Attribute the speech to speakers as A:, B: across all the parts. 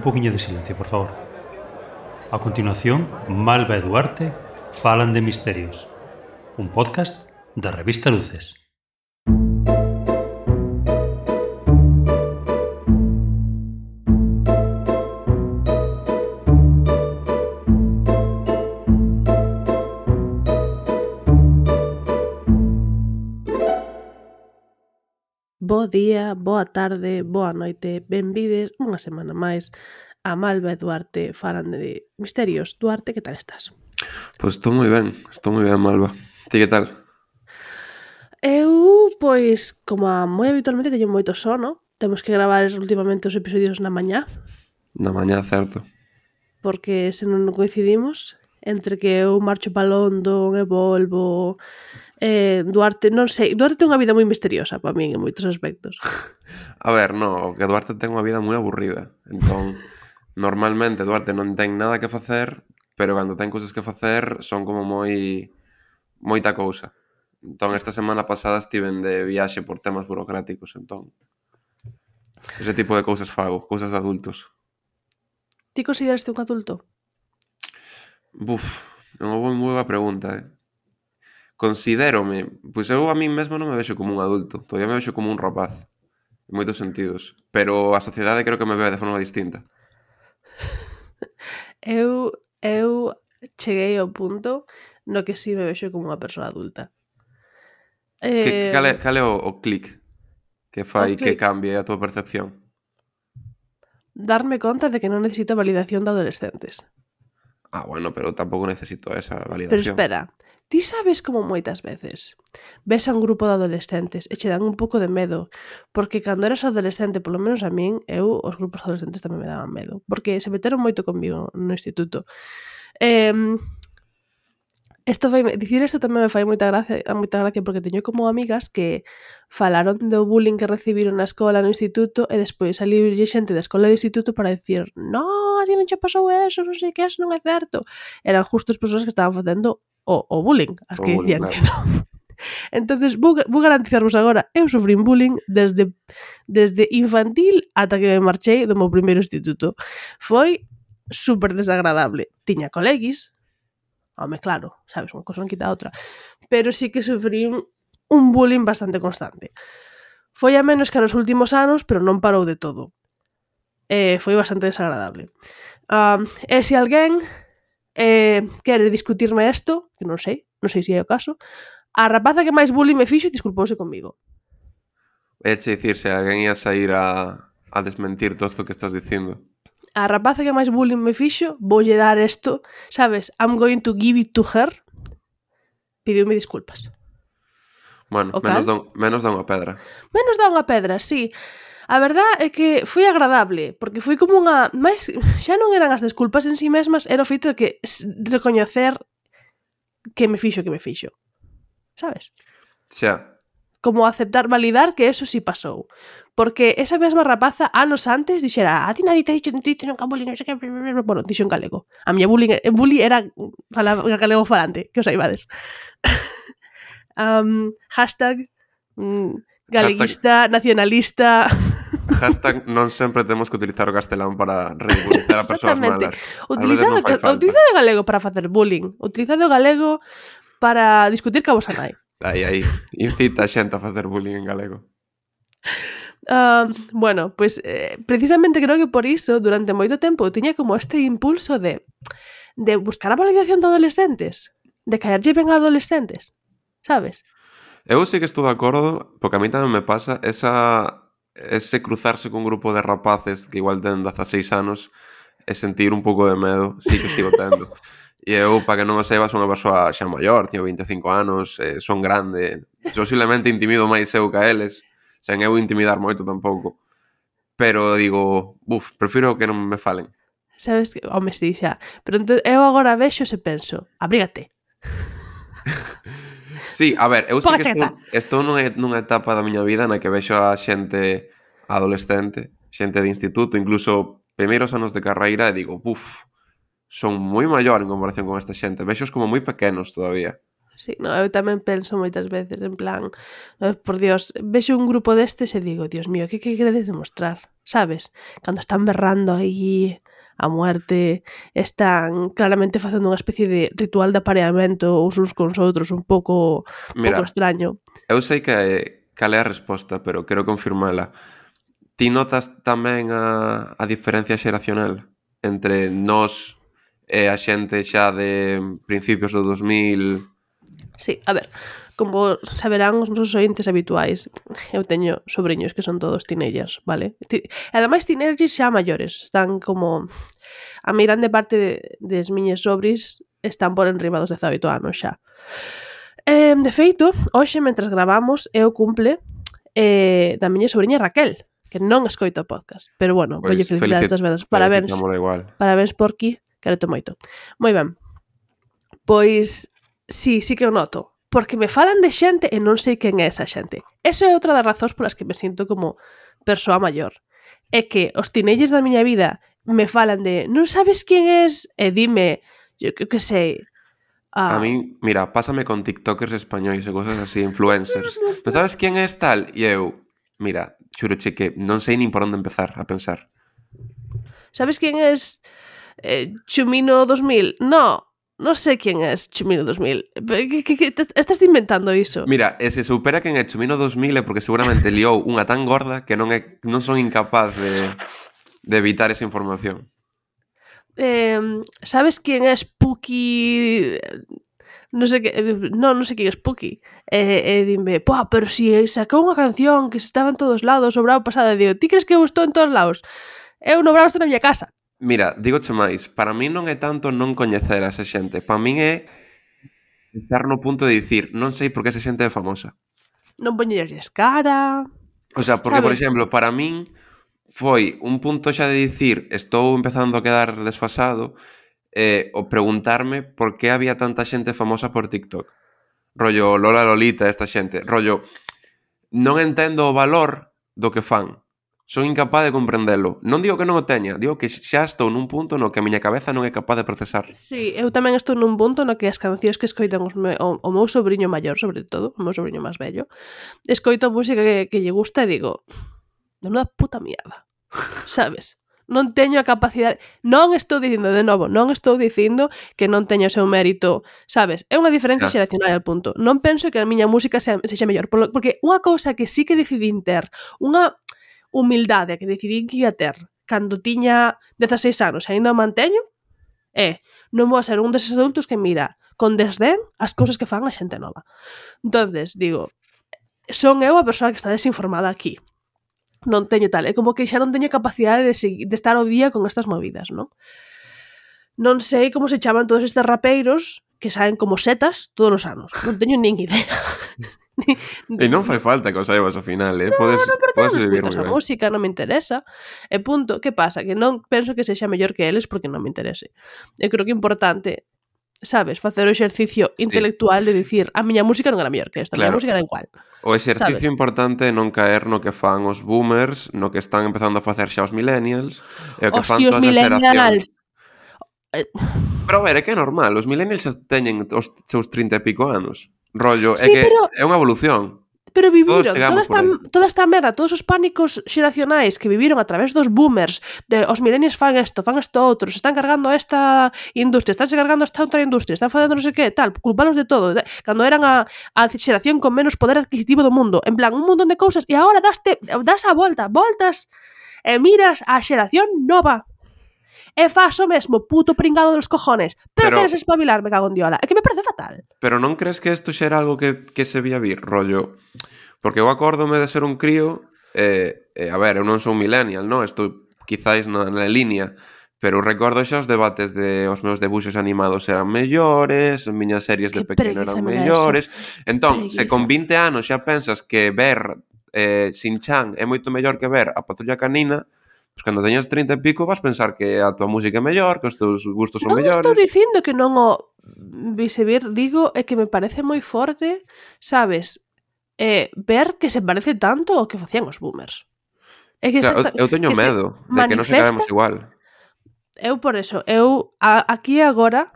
A: poquinho de silencio, por favor. A continuación, Malva e Duarte falan de misterios. Un podcast da revista Luces.
B: Bo día, boa tarde, boa noite, benvides unha semana máis a Malva e Duarte falan de misterios. Duarte, que tal estás?
C: Pois estou moi ben, Malva. Ti que tal?
B: Eu, pois, como moi habitualmente teño moito sono, temos que gravar últimamente os episodios na mañá,
C: Na mañá, certo.
B: porque se non coincidimos, entre que eu marcho pa London e volvo, Duarte, non sei, Duarte ten unha vida moi misteriosa para min en moitos aspectos.
C: A ver, no, que Duarte ten unha vida moi aburrida. Entón, normalmente Duarte non ten nada que facer, pero cando ten cousas que facer son como moita cousa. Entón, esta semana pasada estiven de viaxe por temas burocráticos, entón. Ese tipo de cousas fago, cousas de adultos.
B: Ti consideraste un adulto?
C: Buf, é unha moi boa pregunta, Considérome, pois eu a min mesmo non me vexo como un adulto, todavía me vexo como un rapaz, en moitos sentidos, pero a sociedade creo que me ve de forma distinta.
B: Eu cheguei ao punto no que sí me vexo como unha persoa adulta.
C: Cal é o clic que fai que
B: clic.
C: cambie a tua percepción?
B: Darme conta de que non necesito validación de adolescentes.
C: Ah, bueno, pero tampouco necesito esa validación.
B: Pero espera, ti sabes como moitas veces ves a un grupo de adolescentes e che dan un pouco de medo, porque cando eras adolescente, polo menos a min, os grupos adolescentes tamén me daban medo, porque se meteron moito conmigo no instituto. Dicir isto tamén me fai moita gracia porque teño como amigas que falaron do bullying que recibiron na escola, no instituto, e despois saliu xente da escola do instituto para dicir non, a ti non che pasou eso, non sei que, eso non é certo. Eran justo as persoas que estaban facendo o bullying, as que dicían que non. Entonces, vou garantizarvos agora, eu sufrín bullying desde infantil ata que me marchei do meu primeiro instituto. Foi super desagradable. Tiña coleguis, home, claro, sabes, unha cosa non quita a outra. Pero sí que sufrí un bullying bastante constante. Foi a menos que nos últimos anos, pero non parou de todo. Foi bastante desagradable. E se alguén quere discutirme isto, que non sei se é o caso, a rapaza que máis bullying me fixo disculpouse comigo.
C: Eche dicir, se alguén ia sair a desmentir todo isto que estás dicindo.
B: A rapaza que máis bullying me fixo, voulle dar isto, sabes, I'm going to give it to her. Pidiume disculpas.
C: Bueno, menos dá unha pedra.
B: Menos dá unha pedra, sí. A verdad é que foi agradable, porque foi como unha... Mais, xa non eran as desculpas en sí mesmas, era o feito de que recoñecer que me fixo. Sabes?
C: Xa.
B: Como aceptar, validar que eso sí pasou. Porque esa mesma rapaza, anos antes, dixera a ti nadie te ha dicho nunca bullying, non sei que... Bueno, dixo en galego. A miña bullying era galego falante, que os saibades. Hashtag galeguista, nacionalista...
C: Hashtag non sempre temos que utilizar o castelán para ridiculizar a persoas malas.
B: Utilizade o galego para facer bullying. Utilizade o galego para discutir ca vosa nai.
C: Aí, incita a xente a facer bullying en galego.
B: Bueno, pues precisamente creo que por iso durante moito tempo tiña como este impulso de buscar a validación de adolescentes, de caerlle ben a adolescentes, sabes?
C: Eu sí que estou de acordo, porque a mí tamén me pasa ese cruzarse con un grupo de rapaces que igual ten 16 anos e sentir un pouco de medo, sí que sigo tendo. E eu, para que non o saiba, son unha persoa xa maior, teño 25 anos, son grande, posiblemente intimido máis eu que eles, sen eu intimidar moito tampouco. Pero digo, prefiro que non me falen.
B: Sabes que, home, sí, xa. Pero entón, eu agora vexo e penso, abrígate.
C: Sí, a ver, eu sí que estou nunha etapa da miña vida na que vexo a xente adolescente, xente de instituto, incluso primeiros anos de carreira, e digo, son moi maior en comparación con esta xente. Vexos como moi pequenos todavía.
B: Sí, no, eu tamén penso moitas veces, en plan, por Dios, vexo un grupo destes e digo, Dios mío, que queredes demostrar? sabes? Cando están berrando aí a muerte, están claramente facendo unha especie de ritual de apareamento uns cons outros un pouco extraño.
C: Eu sei cal é a resposta, pero quero confirmala. Ti notas tamén a diferencia xeracional entre nós e a xente xa de principios do 2000?
B: Sí, a ver, como saberán os nosos ointes habituais, eu teño sobrinhos que son todos teenagers, vale? E ademais teenagers xa maiores, están como... A mi grande parte des miñes sobris están por enriba dos 18 anos xa. De feito, hoxe, mentres gravamos, é o cumple da miña sobrinha Raquel, que non escoita o podcast. Pero bueno,
C: Pois,
B: colle felicidades das vedas. Parabéns. Parabéns, Porqui, quero moito. Moi ben. Pois, sí que o noto. Porque me falan de xente e non sei quen é esa xente. Eso é outra das razóns polas que me sinto como persoa maior. É que os teenagers da miña vida me falan de non sabes quen es? E dime, yo que sei...
C: A mí, mira, pásame con tiktokers españois e cosas así, influencers. Non sabes quen é tal? E eu, mira, xuroche que non sei nin por onde empezar a pensar.
B: Sabes quen es Chumino 2000? No, non sei quen é Chumino 2000. Que estás inventando iso?
C: Mira, e se supera quen é Chumino 2000 é porque seguramente liou unha tan gorda que non son incapaz de evitar esa información.
B: Sabes quen é Spooky? Non sei quen é Spooky. Dime, pero si sacou unha canción que estaba en todos lados o brao pasado, e digo, ti crees que eu estou en todos lados? Eu no brao estou na miña casa.
C: Mira, dígoche máis, para min non é tanto non coñecer a esa xente, para min é estar no punto de dicir, non sei por que esa xente é famosa.
B: Non poñerlles cara...
C: O sea, porque, por exemplo, para min foi un punto xa de dicir estou empezando a quedar desfasado o preguntarme por que había tanta xente famosa por TikTok. Rollo Lola Lolita, esta xente. Rollo, non entendo o valor do que fan. Son incapaz de comprendelo. Non digo que non o teña, digo que xa estou nun punto no que a miña cabeza non é capaz de procesar.
B: Sí, eu tamén estou nun punto no que as cancións que escoitan o meu sobriño maior, sobre todo, o meu sobriño máis vello, escoito música que lle gusta e digo, menuda puta mierda, sabes? Non teño a capacidade... Non estou dicindo, de novo, non estou dicindo que non teño o seu mérito, sabes? É unha diferencia xeracional al punto. Non penso que a miña música sexa mellor, porque unha cousa que sí que decidín ter, unha humildade que decidín que ia ter cando tiña 16 anos e ainda o manteño, non vou a ser un deses adultos que mira con desdén as cousas que fan a xente nova. Entonces, digo, son eu a persoa que está desinformada aquí. Non teño tal, é como que xa non teño capacidade de estar ao día con estas movidas, non? Non sei como se chaman todos estes rapeiros que saen como setas todos os anos. Non teño nin idea.
C: E non fai falta que o saibas ao final, podes vivir moi ben.
B: A música non me interesa. E punto, que pasa? Que non penso que sexa mellor que eles porque non me interese. Eu creo que é importante, sabes, facer o exercicio intelectual de dicir a miña música non era mellor que esta, a miña música era igual.
C: O exercicio importante é non caer no que fan os boomers, no que están empezando a facer xa os millennials, e o que fan todas as xeracións. Pero a ver, é que é normal, os millennials xa teñen os seus 30 e pico anos. Rollo,
B: sí,
C: é que é unha evolución.
B: Pero viviron toda esta merda, todos os pánicos xeracionais que viviron a través dos boomers, de os millennials fan isto outro, se están cargando esta industria, están se cargando esta outra industria, están facendo non sei que, tal, culpalos de todo, cando eran a xeración con menos poder adquisitivo do mundo, en plan, un montón de cousas, e agora das a voltas, e miras a xeración nova, e faz o mesmo, puto pringado dos cojones, pero queres espabilar, me cago en diola, é que me parece fatal.
C: Pero non crees que isto xa era algo que se vía vir, rollo? Porque eu acórdome de ser un crío, a ver, eu non sou un millennial, non? Estou quizáis na línea, pero recordo xa os debates de os meus debuxos animados eran mellores, as miñas series de pequeno eran mellores. Entón, se con 20 anos xa pensas que ver Shin-chan é moito mellor que ver a Patrulla Canina, pois cando teñas 30 e pico vas pensar que a tua música é mellor, que os teus gustos son mellores.
B: Non estou dicindo que non o vise vir, digo é que me parece moi forte, sabes, ver que se parece tanto ao que facían os boomers. É que
C: claro, eu teño medo de que non se quedemos igual.
B: Eu por eso, aquí agora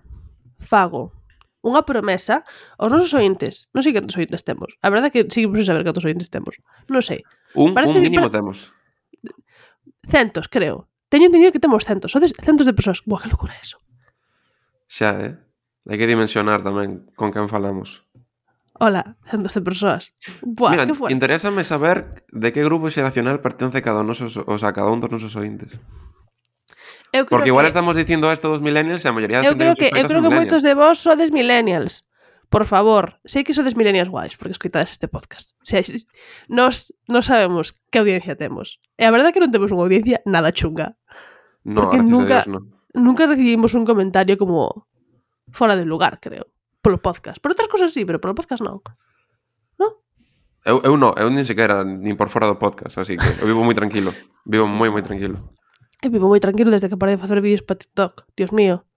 B: fago unha promesa aos nosos ointes. Non sei cantos ointes temos. A verdade é que seguimos sen saber cantos ointes temos. Non sei.
C: Un mínimo temos.
B: Centos, creo. Teño entendido que temos centos. Sodes centos de persoas. Buah, que locura é eso.
C: Xa, hai que dimensionar tamén con quen falamos.
B: Hola, centos de persoas. Buah,
C: Mira,
B: que fuerte.
C: interésame saber de que grupo xeracional pertence cada un dos nosos ointes.
B: Eu creo
C: Porque igual
B: que...
C: estamos dicindo esto dos millennials e a maioría da
B: Eu
C: xente
B: creo
C: que nos escoita
B: que
C: son
B: moitos
C: millennials.
B: de vos sodes millennials. Por favor, sei que sodes millennials guais porque escoitades este podcast. O sea, nos sabemos que audiencia temos. E a verdade é que non temos unha audiencia nada chunga.
C: No,
B: Porque
C: gracias a Dios, no.
B: nunca recibimos un comentario como fora de lugar, creo. Polo podcast. Por outras cosas sí, pero polo podcast non.
C: Eu nin sequera, nin por fora do podcast, así que eu vivo moi tranquilo. Vivo moi tranquilo.
B: Eu vivo moi tranquilo desde que parei de facer vídeos para TikTok. Dios mío.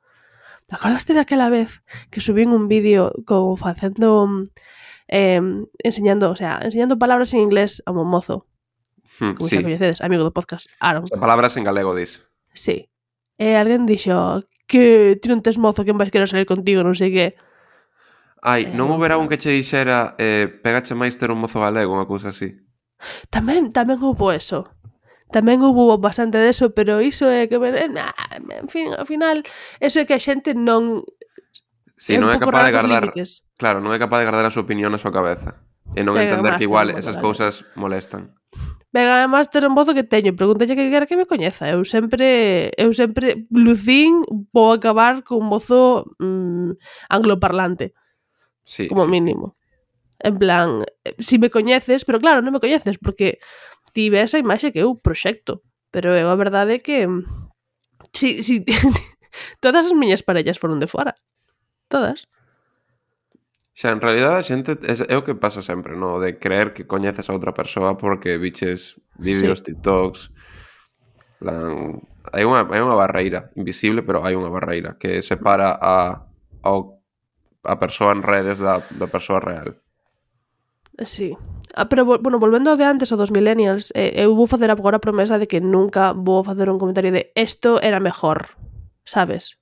B: ¿Te acordaste daquela vez que subín un vídeo como facendo enseñando palabras en inglés a un mozo? Como
C: Sí.
B: xa coñecedes, amigo do podcast, Aaron.
C: As palabras en galego, dis.
B: Sí. E alguén dixo que ti non tes mozo, que máis quero salir contigo, non sei que.
C: Ai, non houbera un que che dixera pegache máis ter un mozo galego, unha cousa así.
B: Tamén houbo eso. Tamén houbo bastante deso, pero iso é que en fin, ao final, eso é que a xente non
C: Si, non é
B: un pouco
C: capaz de
B: rara cos
C: guardar,
B: límites.
C: claro, non é capaz de guardar a súa opinión na súa cabeza. E non
B: Pega
C: entender
B: máis
C: que igual
B: ter un mozo
C: esas
B: galego.
C: cousas molestan.
B: Venga, además ter un mozo que teño, pregúntalle que quera que me coñeza. Eu sempre lucín vou acabar con un mozo angloparlante,
C: Sí,
B: como
C: sí,
B: mínimo. En plan, si me coñeces, pero claro, non me coñeces porque ti ves a imaxe que eu proxecto, pero eu a verdade é que si todas as miñas parellas foron de fora. Todas.
C: Xa, en realidad a xente é o que pasa sempre, no? De creer que coñeces a outra persoa porque viches vídeos, TikToks. Plan, hai unha barreira invisible, pero hai unha barreira que separa a persoa en redes da persoa real.
B: Sí. Pero, bueno, volvendo ao de antes, ao dos millennials, eu vou facer agora a promesa de que nunca vou facer un comentario de esto era mejor, sabes?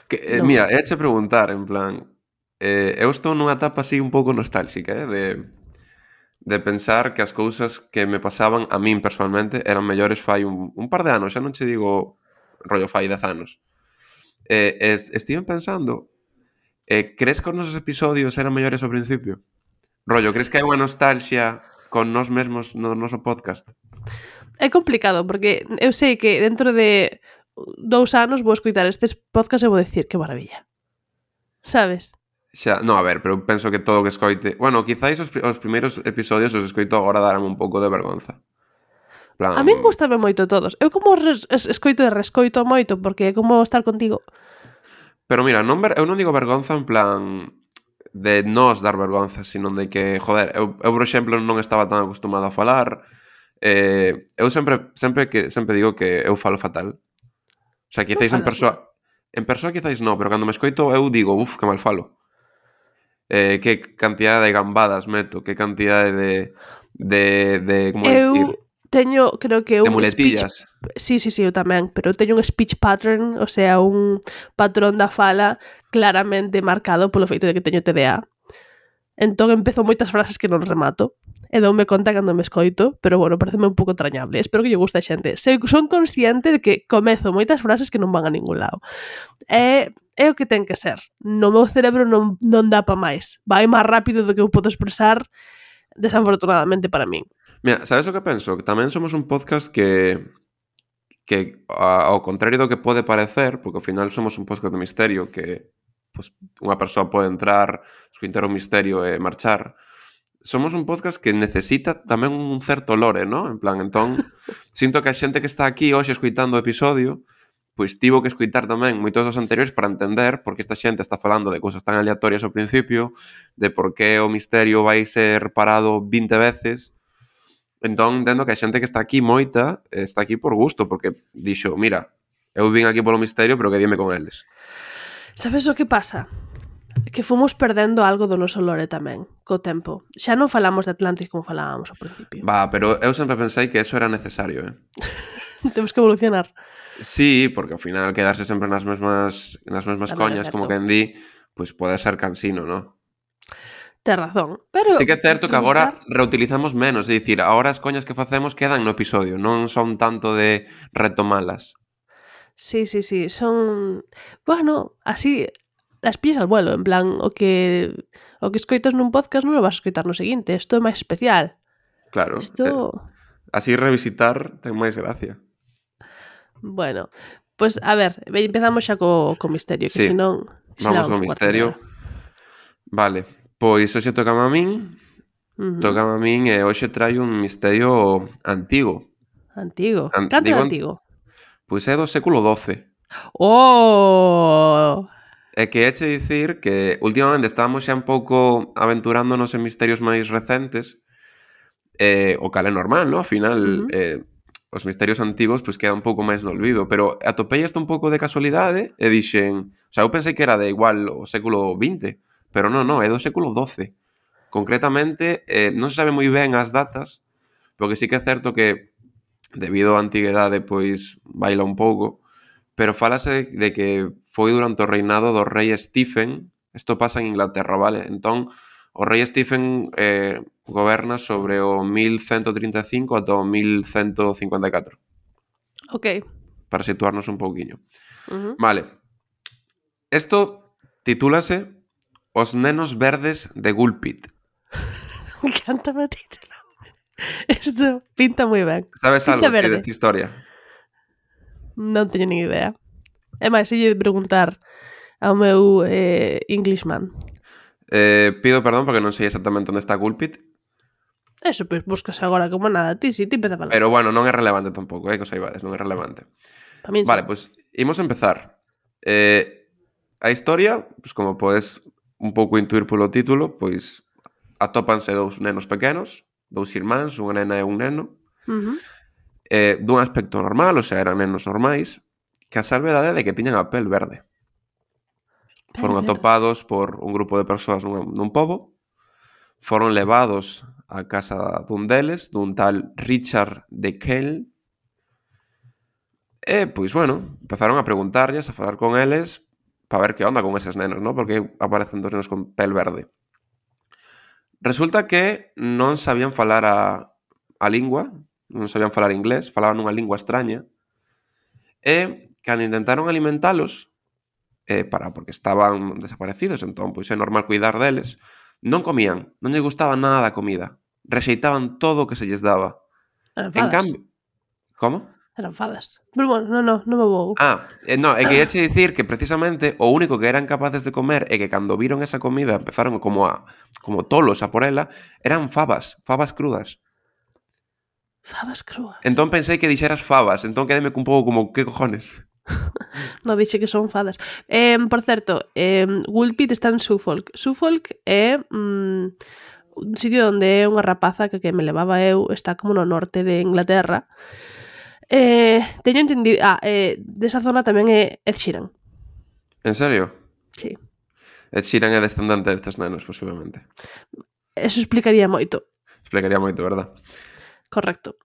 C: Que,
B: Non.
C: mira, éche preguntar, en plan, eu estou nunha etapa así un pouco nostálxica, de pensar que as cousas que me pasaban a min personalmente eran mellores fai un par de anos, xa non che digo rollo fai 10 anos. Estiven pensando, crees que os nosos episodios eran mellores ao principio? Rollo, crees que hai unha nostalgia con nós mesmos no noso podcast?
B: É complicado, porque eu sei que dentro de 2 anos vou escoitar estes podcasts e vou decir que maravilla. Sabes?
C: Xa, no, a ver, pero penso que todo o que escoite... Bueno, quizáis os primeiros episodios os escoito agora darame un pouco de vergonza. Plan...
B: A min gustame moito todos. Eu como escoito e rescoito moito, porque é como estar contigo.
C: Pero mira, eu non digo vergonza en plan de nos dar vergonza, sino de que, joder, eu por exemplo non estaba tan acostumado a falar. Eu sempre digo que eu falo fatal. O sea, quizáis en persoa quizáis non, pero cando me escoito eu digo, que mal falo. Que cantidade de gambadas meto, que cantidade de como dicir?
B: Eu teño, creo que
C: de
B: un
C: muletillas.
B: Sí, eu tamén, pero eu teño un speech pattern, o sea, un patrón da fala claramente marcado polo feito de que teño TDA. Entón empezo moitas frases que non remato e doume conta cando me escoito, pero bueno, pareceme un pouco entrañable. Espero que lle guste a xente. Son consciente de que comezo moitas frases que non van a ningún lado. É o que ten que ser. No meu cerebro non dá pa máis. Vai máis rápido do que eu podo expresar, desafortunadamente para min.
C: Mira, sabes o que penso? Que tamén somos un podcast que ao contrario do que pode parecer, porque ao final somos un podcast de misterio que pues, unha persoa pode entrar, escoitar o misterio e marchar. Somos un podcast que necesita tamén un certo lore, ¿no? En plan, entón, sinto que a xente que está aquí hoxe escoitando o episodio, pois tivo que escoitar tamén moitos dos anteriores para entender por que esta xente está falando de cousas tan aleatorias ao principio, de por que o misterio vai ser parado 20 veces. Entón, entendo que a xente que está aquí moita está aquí por gusto, porque dixo, mira, eu vin aquí polo misterio, pero que dime con eles.
B: Sabes o que pasa? Que fomos perdendo algo do noso lore tamén, co tempo. Xa non falamos de Atlantis como falábamos ao principio.
C: Va, pero eu sempre pensei que eso era necesario,
B: Temos que evolucionar.
C: Sí, porque ao final quedarse sempre nas mesmas
B: Tamén
C: coñas,
B: é
C: como
B: certo.
C: quen di, pois pode ser cansino, ¿no?
B: Tes razón. Pero
C: Sí que é certo que agora
B: revistar...
C: reutilizamos menos, é dicir, agora as coñas que facemos quedan no episodio, non son tanto de retomalas.
B: Sí, son... Bueno, así las pillas al vuelo, en plan, o que escoitas nun podcast non lo vas a escoitar no seguinte, isto é máis especial.
C: Claro,
B: Isto...
C: así revisitar ten máis gracia.
B: Bueno, pues a ver, empezamos xa co misterio, que
C: Sí,
B: senón...
C: vamos ao misterio. Vale, pois hoxe tocame a min, e hoxe traio un misterio antigo.
B: Antigo? Canto é antigo?
C: Pois é do século XII.
B: Oh!
C: É que eche dicir que últimamente estamos xa un pouco aventurándonos en misterios máis recentes, o cal é normal, ¿no? Ao final, os misterios antigos pois quedan un pouco máis no olvido, pero atopei isto un pouco de casualidade e dixen... O sea, eu pensei que era de igual o século XX, pero non, é do século XII. Concretamente, non se sabe moi ben as datas, porque sí que é certo que, debido á antiguidade, pois baila un pouco, pero fálase de que foi durante o reinado do rei Stephen. Isto pasa en Inglaterra, vale? Entón, o rei Stephen goberna sobre o 1135 ata o 1154.
B: Ok.
C: Para situarnos un pouquiño. Vale. Isto titúlase Os nenos verdes de Gulpit.
B: Me encanta o título. Isto pinta moi ben.
C: Sabes
B: Pinta
C: algo
B: verde.
C: desta historia?
B: Non teño nin idea. É máis, se lle preguntar ao meu Englishman.
C: Pido perdón porque non sei exactamente onde está Gulpit.
B: Eso, pois buscas agora como nada. Ti empeza a falar.
C: Pero bueno, non é relevante tampouco, que o saibades, non é relevante.
B: Tamén
C: vale, pois imos empezar. A historia, pois como podes un pouco intuir polo título, pois atópanse dous nenos pequenos, dous irmáns, unha nena e un neno, dun aspecto normal, o sea, eran nenos normais, que a salvedade de que tiñan a pel verde. Foron atopados por un grupo de persoas nun pobo, foron levados á casa dun deles, dun tal Richard de Kell, e, pois, bueno, empezaron a preguntarlles, a falar con eles, para ver que onda con eses nenos, ¿no? Porque aparecen dos nenos con pel verde. Resulta que non sabían falar a lingua, non sabían falar inglés, falaban unha lingua extraña, e cando intentaron alimentalos, porque estaban desaparecidos, entón pois é normal cuidar deles, non comían, non lle gustaba nada da comida, rexeitaban todo o que se lles daba.
B: Eran fadas.
C: En cambio... Como?
B: Eran fadas. Pero bueno, non me vou.
C: No, é que ia che dicir que precisamente o único que eran capaces de comer e que cando viron esa comida empezaron como tolos a por ela, eran fabas crudas.
B: Fabas crúas.
C: Entón pensei que dixeras fabas, entón quedeme un pouco como, que cojones?
B: Non dixe que son fadas. Por certo, Gulpit está en Suffolk. Suffolk é un sitio onde é unha rapaza que me levaba eu, está como no norte de Inglaterra. Teño entendido... desa zona tamén é Ed Sheeran.
C: En serio?
B: Sí.
C: Ed Sheeran é descendente destes nenos, posiblemente.
B: Eso explicaría moito.
C: Explicaría moito, verdad?
B: Correcto.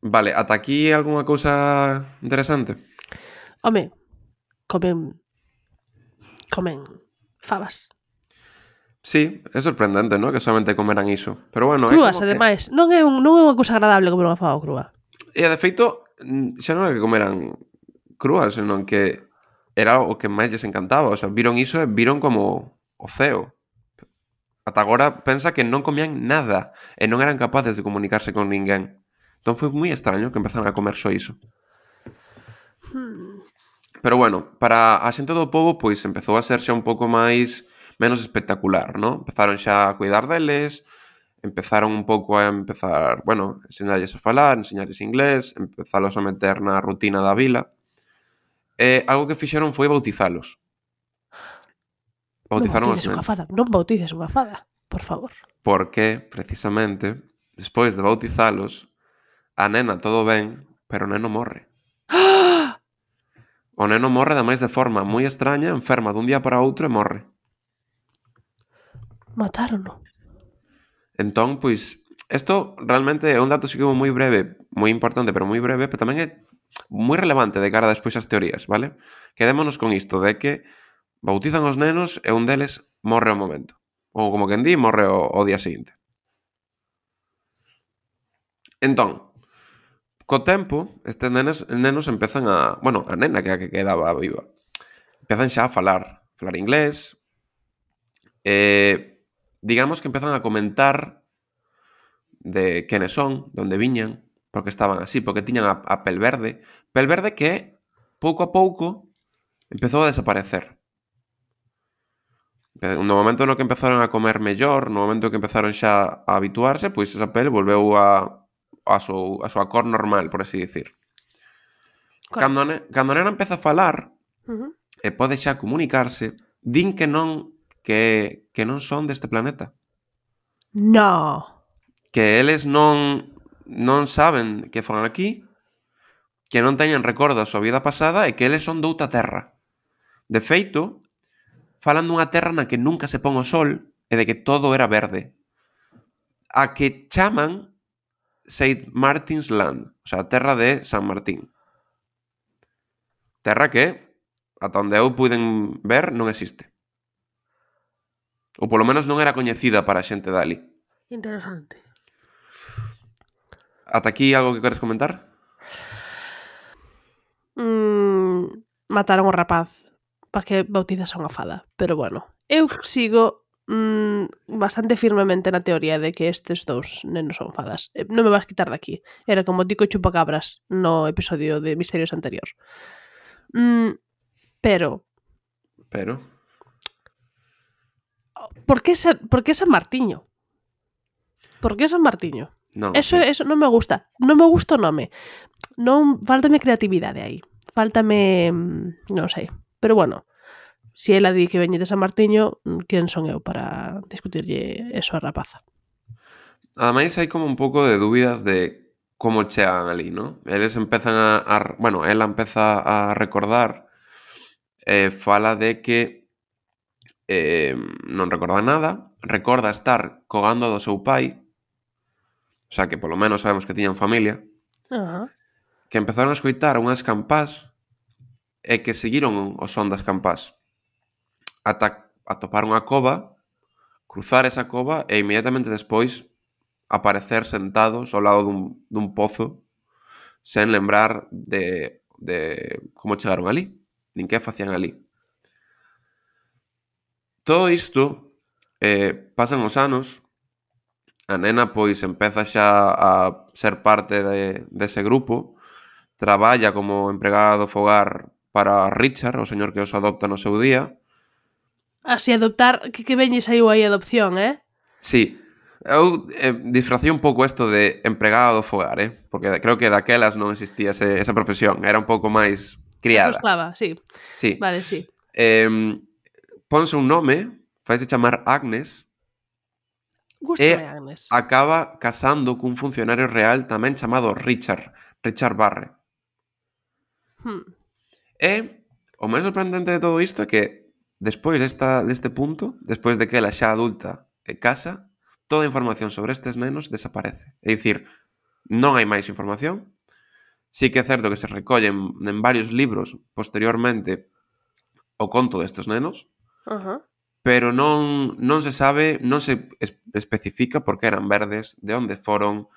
C: Vale, ata aquí algunha cousa interesante?
B: Home, comen fabas.
C: Sí, é sorprendente, ¿no? Que solamente comeran iso. Pero bueno,
B: crúas, ademais. Non é unha cousa agradable comer unha faba crúa.
C: E, de feito, xa non é que comeran crúas, senón que era o que máis lles encantaba. O sea, viron iso e viron como o ceo. Ata agora pensa que non comían nada e non eran capaces de comunicarse con ninguén. Entón foi moi extraño que empezaran a comer só iso. Pero bueno, para a xente do pobo, pois empezou a ser xa un pouco menos espectacular, ¿no? Empezaron xa a cuidar deles, empezaron un pouco enseñarlles a falar, enseñarlles inglés, empezalos a meter na rutina da vila. E algo que fixeron foi bautizalos. Bautizaron os nenos.
B: Non bautices unha fada, por favor.
C: Porque, precisamente, despois de bautizalos, a nena todo ben, pero o neno morre. O neno morre ademais de forma moi extraña, enferma dun día para outro e morre.
B: Matárono.
C: Entón, pois, isto realmente é un dato así como moi breve, moi importante, pero moi breve, pero tamén é moi relevante de cara despois ás teorías, vale? Quedémonos con isto de que bautizan os nenos e un deles morre ao momento. ou como quen di, morre o día seguinte. Entón, co tempo, estes nenos empezan a... Bueno, a nena que é a que quedaba viva. Empezan xa a falar inglés. Digamos que empezan a comentar de quenes son, de onde viñan, porque estaban así, porque tiñan a pel verde. Pel verde que, pouco a pouco, empezou a desaparecer. No momento no que empezaron a comer mellor, no momento que empezaron xa a habituarse, pois esa pel volveu a súa cor normal, por así dicir. Cando a nena empeza a falar e pode xa comunicarse, din que non son deste planeta.
B: No.
C: Que eles non saben que fan aquí, que non teñen recordo da súa vida pasada e que eles son douta terra. De feito, falan dunha terra na que nunca se pon o sol e de que todo era verde. A que chaman St. Martin's Land, o sea, a terra de San Martín. Terra que, ata onde eu puiden ver, non existe. Ou polo menos non era coñecida para a xente dali.
B: Interesante.
C: Ata aquí algo que queres comentar?
B: Mataron o rapaz para que bautizase unha fada. Pero bueno, eu sigo bastante firmemente na teoría de que estes dous nenos son fadas. Non me vas quitar daqui. Era como Tico Chupacabras no episodio de Misterios anterior. Pero... Por que San Martiño? Por que San Martiño?
C: Non,
B: eso non me gusta. Non me gusta o nome. Non, faltame creatividade aí. Faltame... non sei. Pero bueno, se ela di que veñe de San Martiño, quen son eu para discutirlle eso a rapaza?
C: Ademais, hai como un pouco de dúbidas de como chegan ali, ¿no? Eles empezan bueno, ela empeza a recordar, fala de que non recorda nada, recorda estar co gando do seu pai, o sea, que polo menos sabemos que tiñan familia, que empezaron a escoitar unhas campás e que seguiron o son das campás ata atopar unha cova, cruzar esa cova e inmediatamente despois aparecer sentados ao lado dun pozo sen lembrar de como chegaron ali, nin que facían ali. Todo isto pasan os anos, a nena pois empeza xa a ser parte dese grupo, traballa como empregada do fogar para Richard, o señor que os adopta no seu día.
B: Así adoptar, que veñe saiu aí a adopción,
C: Sí, eu disfracei un pouco isto de empregada do fogar, porque creo que daquelas non existía esa profesión, era un pouco máis criada.
B: Esclava, sí. Vale, sí.
C: Ponse un nome, faise chamar Agnes.
B: Gústame Agnes.
C: Acaba casando cun funcionario real tamén chamado Richard Barre. E o máis sorprendente de todo isto é que despois deste punto, despois de que ela xa adulta e casa, toda a información sobre estes nenos desaparece. É dicir, non hai máis información. Sí que é certo que se recollen en varios libros posteriormente o conto destes nenos, pero non se sabe, non se especifica por que eran verdes, de onde foron,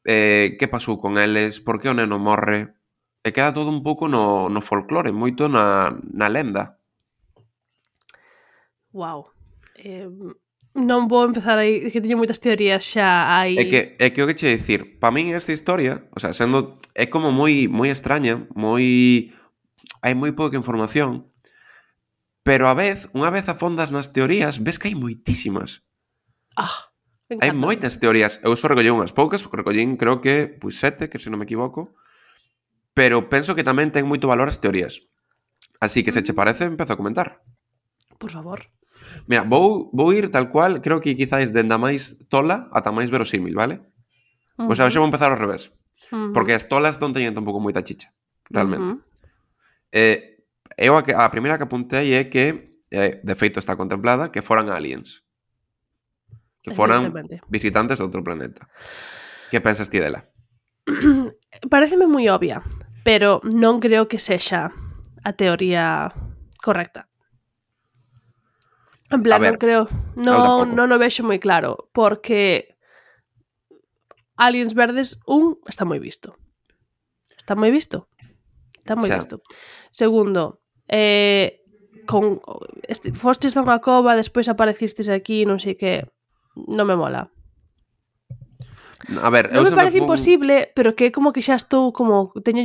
C: que pasou con eles, por que o neno morre, e queda todo un pouco no folclore, moito na lenda.
B: Wow. Non vou empezar aí, que teño moitas teorías xa aí.
C: É que o que che dicir, pa min esta historia, o sea, sendo é como moi extraña, hai moi pouca información, pero unha vez afondas nas teorías, ves que hai moitísimas. Hai moitas teorías. Eu só recollei unhas poucas, porque recollín, creo que, 7, que se non me equivoco, pero penso que tamén ten moito valor as teorías. Así que, se che parece, empezo a comentar.
B: Por favor.
C: Mira, vou ir tal cual, creo que quizáis dende a máis tola ata máis verosímil, vale? O sea, xa vou empezar ao revés. Porque as tolas non teñen tampouco moita chicha, realmente. Eu a primeira que apuntei é que, de feito está contemplada, que foran aliens. Que foran visitantes de outro planeta. Que pensas ti dela?
B: Pareceme moi obvia, pero non creo que sexa a teoría correcta. En plan,
C: A ver,
B: non creo,
C: eu tampouco.
B: non o vexo moi claro, porque Aliens Verdes, está moi visto. Está moi visto. Está moi
C: Xa.
B: visto. Segundo, fostes dunha cova, despois aparecistes aquí, non sei que, non me mola.
C: A ver,
B: Non
C: eu
B: me
C: sempre
B: parece
C: fun...
B: imposible, pero que como que xa estou como teño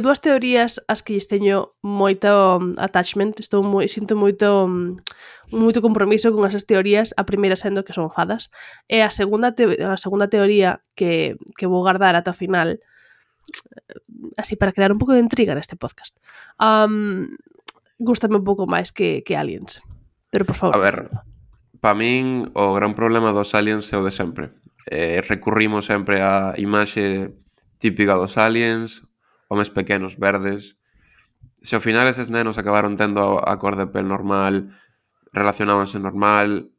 B: dúas teorías as que lles teño moito attachment, sinto moito compromiso con esas teorías, a primeira sendo que son fadas, e a segunda teoría que vou guardar ata o final, así para crear un pouco de intriga neste podcast. Gústame un pouco máis que Aliens. Pero por favor.
C: A ver, para min o gran problema dos aliens é o de sempre. Recurrimos sempre á imaxe típica dos aliens, homes pequenos verdes. Se ao final eses nenos acabaron tendo a cor de pel normal, relacionábanse normal,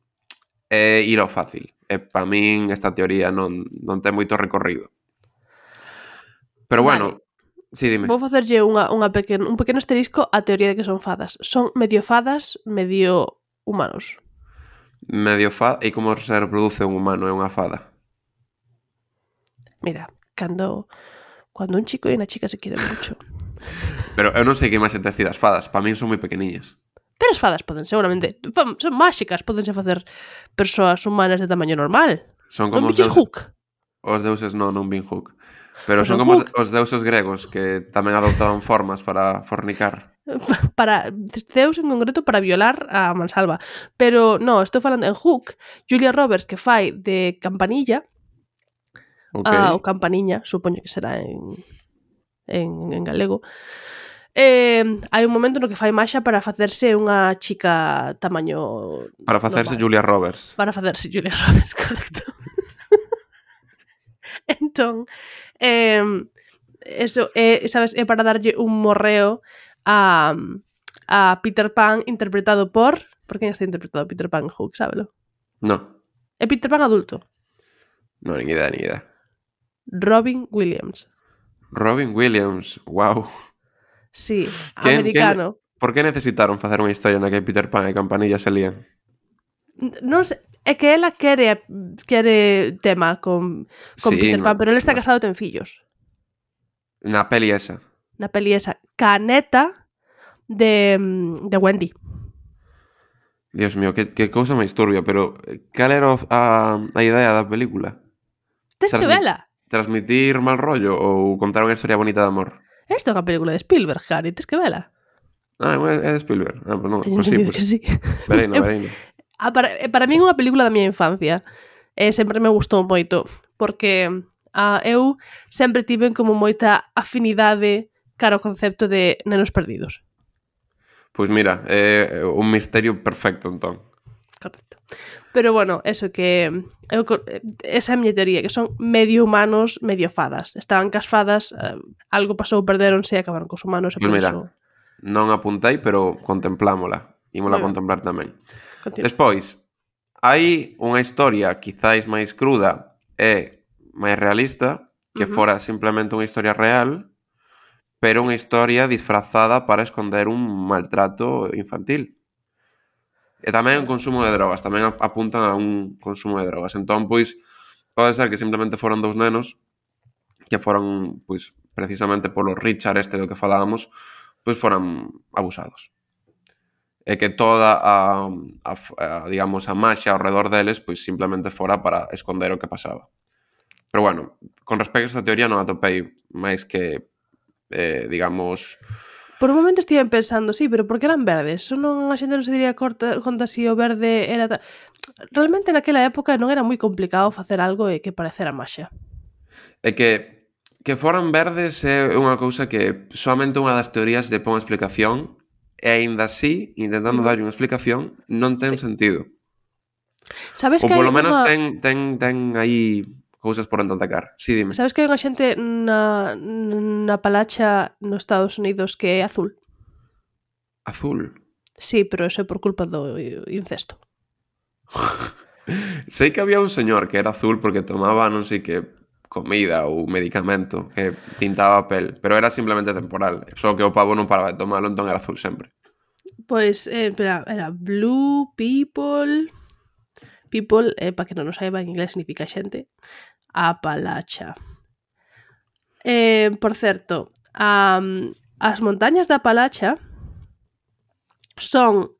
C: é ir ao fácil. E para min esta teoría non ten moito recorrido. Pero bueno, sí, dime.
B: Vou facerlle un pequeno asterisco á teoría de que son fadas. Son medio fadas, medio humanos.
C: Medio fada. E como se reproduce un humano e unha fada?
B: Mira, cuando un chico e unha chica se quieren mucho.
C: Pero eu non sei que máis tes das fadas. Para min son moi pequeniñas.
B: Pero as fadas poden seguramente... Son máxicas, podense facer persoas humanas de tamaño normal.
C: Son
B: Non
C: como
B: biches Hook.
C: Os deuses non vin Hook. Pero
B: Pues
C: son
B: en
C: como
B: Hook.
C: os deuses gregos que tamén adoptaban formas para fornicar.
B: Para Zeus en concreto para violar a mansalva. Pero no, estou falando en Hook, Julia Roberts que fai de Campanilla,
C: Okay.
B: ou Campaniña, supoño que será en galego. Hai un momento no que fai maxa para facerse unha chica tamaño
C: Para facerse
B: normal.
C: Julia Roberts.
B: Para facerse Julia Roberts, correcto. Entón, eso sabes, é para darlle un morreo a Peter Pan interpretado por quen está interpretado Peter Pan en Hook, sábelo?
C: No.
B: É Peter Pan adulto.
C: No, ni idea.
B: Robin Williams.
C: Robin Williams, wow.
B: Sí, americano.
C: Por que necesitaron facer unha historia na que Peter Pan e Campanilla se lían?
B: Non sei, é que ela quere tema con
C: Sí,
B: Peter Pan, pero ele está
C: no.
B: casado e ten fillos.
C: Na peli esa.
B: Na peli esa, caneta de Wendy.
C: Dios mío, que cousa máis turbia, pero cal era a idea da película?
B: Tes que vela.
C: Transmitir mal rollo ou contar unha historia bonita de amor?
B: Esta é unha película de Spielberg, Harry, tes que vela.
C: Ah, é de Spielberg. Ah, pues non,
B: Teño
C: pues sí,
B: entendido que sí.
C: Vereino.
B: Para min é unha película da miña infancia. Sempre me gustou moito, porque eu sempre tive como moita afinidade cara ao concepto de nenos perdidos.
C: Pois mira, é un misterio perfecto, entón.
B: Correcto. Pero bueno, eso que esa é a miña teoría, que son medio humanos, medio fadas. Estaban cas fadas, algo pasou, perdéronse e acabaron cos humanos.
C: Pois mira, non apuntei, pero contemplámola. Ímola contemplar tamén.
B: Continúa.
C: Despois, hai unha historia quizáis máis cruda e máis realista, que fora simplemente unha historia real, pero unha historia disfrazada para esconder un maltrato infantil. E tamén o consumo de drogas, tamén apuntan a un consumo de drogas. Entón, pois, pode ser que simplemente foron dous nenos que foron, pois, precisamente polo Richard do que falábamos, pois foran abusados. E que toda digamos, a maxia ao redor deles, pois simplemente fora para esconder o que pasaba. Pero bueno, con respecto a esta teoría non atopei máis que, digamos...
B: Por un momento estiven pensando, sí, pero por que eran verdes? Só non a xente non se diría conta si o verde era... Realmente naquela época non era moi complicado facer algo e que parecera maxia.
C: É que foran verdes é unha cousa que soamente unha das teorías de pon explicación e aínda así, intentando darlle unha explicación, non ten sentido.
B: Sabes
C: Ou
B: que
C: polo
B: hai
C: menos
B: unha...
C: ten aí cousas por entatacar. Sí, dime.
B: Sabes que hai unha xente na Palacha nos Estados Unidos que é azul?
C: Azul?
B: Sí, pero eso é por culpa do incesto.
C: Sei que había un señor que era azul porque tomaba non sei que comida ou medicamento que tintaba a pel, pero era simplemente temporal. Só que o pavo non paraba de tomalo, entón era azul sempre.
B: Pois, espera, era Blue People... People, para que non o saiba, en inglés significa xente. Apalacha. Por certo, as montañas da Apalacha son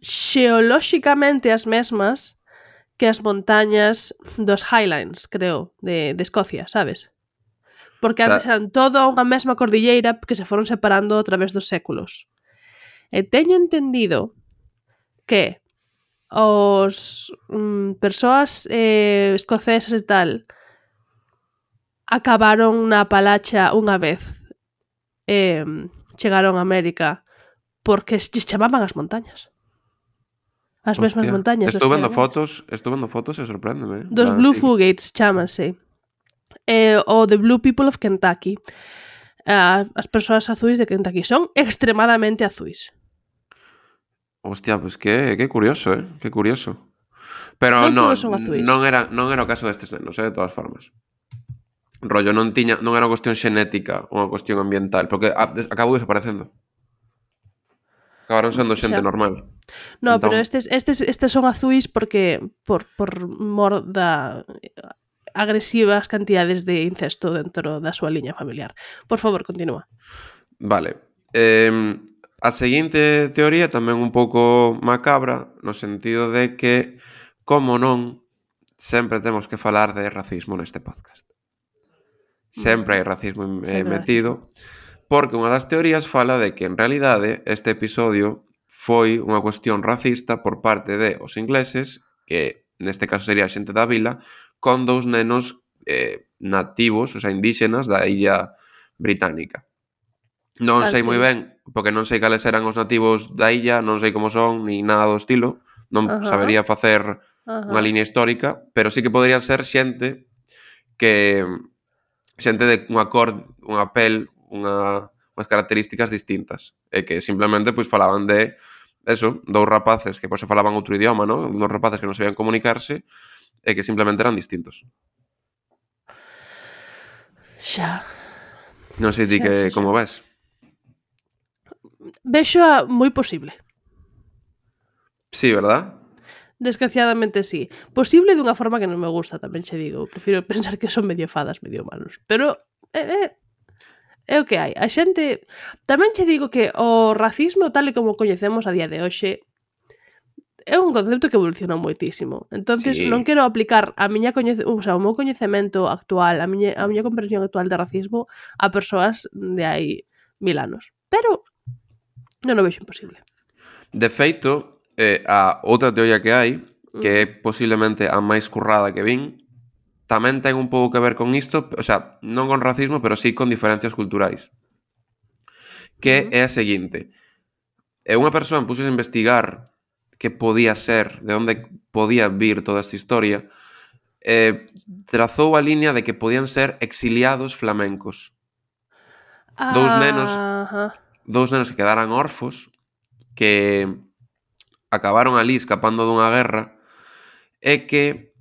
B: xeolóxicamente as mesmas que as montañas dos Highlands, creo, de Escocia, sabes? Porque antes eran toda unha mesma cordilleira que se foron separando a través dos séculos. E teño entendido que os persoas escocesas e tal acabaron na Apalacha unha vez chegaron a América porque lles chamaban as montañas. As mesmas montañas.
C: Estou vendo fotos e sorpréndeme.
B: Dos Blue Fugates chámanse. O The Blue People of Kentucky. As persoas azuis de Kentucky son extremadamente azuis.
C: Hostia, pues que curioso, que curioso. Pero non era o caso destes nenos, de todas formas. Rollo, non era unha cuestión xenética, unha cuestión ambiental, porque acabou desaparecendo. Acabaron sendo xente normal.
B: No, entón... pero estes son azuis porque por mor da agresivas cantidades de incesto dentro da súa liña familiar. Por favor, continúa.
C: Vale. A seguinte teoría tamén un pouco macabra, no sentido de que, como non, sempre temos que falar de racismo neste podcast. Sempre hai racismo metido. Porque unha das teorías fala de que, en realidade, este episodio foi unha cuestión racista por parte de os ingleses, que neste caso sería a xente da vila, con 2 nenos nativos, o sea, indígenas da illa británica. Non sei moi ben, porque non sei cales eran os nativos da illa, non sei como son, ni nada do estilo, non sabería facer unha liña histórica, pero sí que podrían ser xente de unha cor, unha pel, unhas características distintas, e que simplemente pois falaban de eso, 2 rapaces que pois se falaban outro idioma, ¿no? Uns rapaces que non sabían comunicarse e que simplemente eran distintos.
B: Xa.
C: Non sei ti que como ves.
B: Vexo moi posible.
C: Sí, verdad?
B: Desgraciadamente sí. Posible dunha forma que non me gusta, tamén che digo. Prefiro pensar que son medio fadas, medio humanos. Pero é o que hai. A xente... Tamén che digo que o racismo, tal e como coñecemos a día de hoxe, é un concepto que evolucionou moitísimo. Entonces, non quero aplicar o meu coñecemento actual, a miña comprensión actual de racismo a persoas de hai 1000 anos. Pero non o vexo imposible.
C: De feito, a outra teoría que hai, que é posiblemente a máis currada que vin, tamén ten un pouco que ver con isto, o sea, non con racismo, pero sí con diferencias culturais. Que é a seguinte. Unha persoa puxo a investigar que podía ser, de onde podía vir toda esta historia, trazou a liña de que podían ser exiliados flamencos. Dous nenos que quedaran orfos, que acabaron ali escapando dunha guerra, e que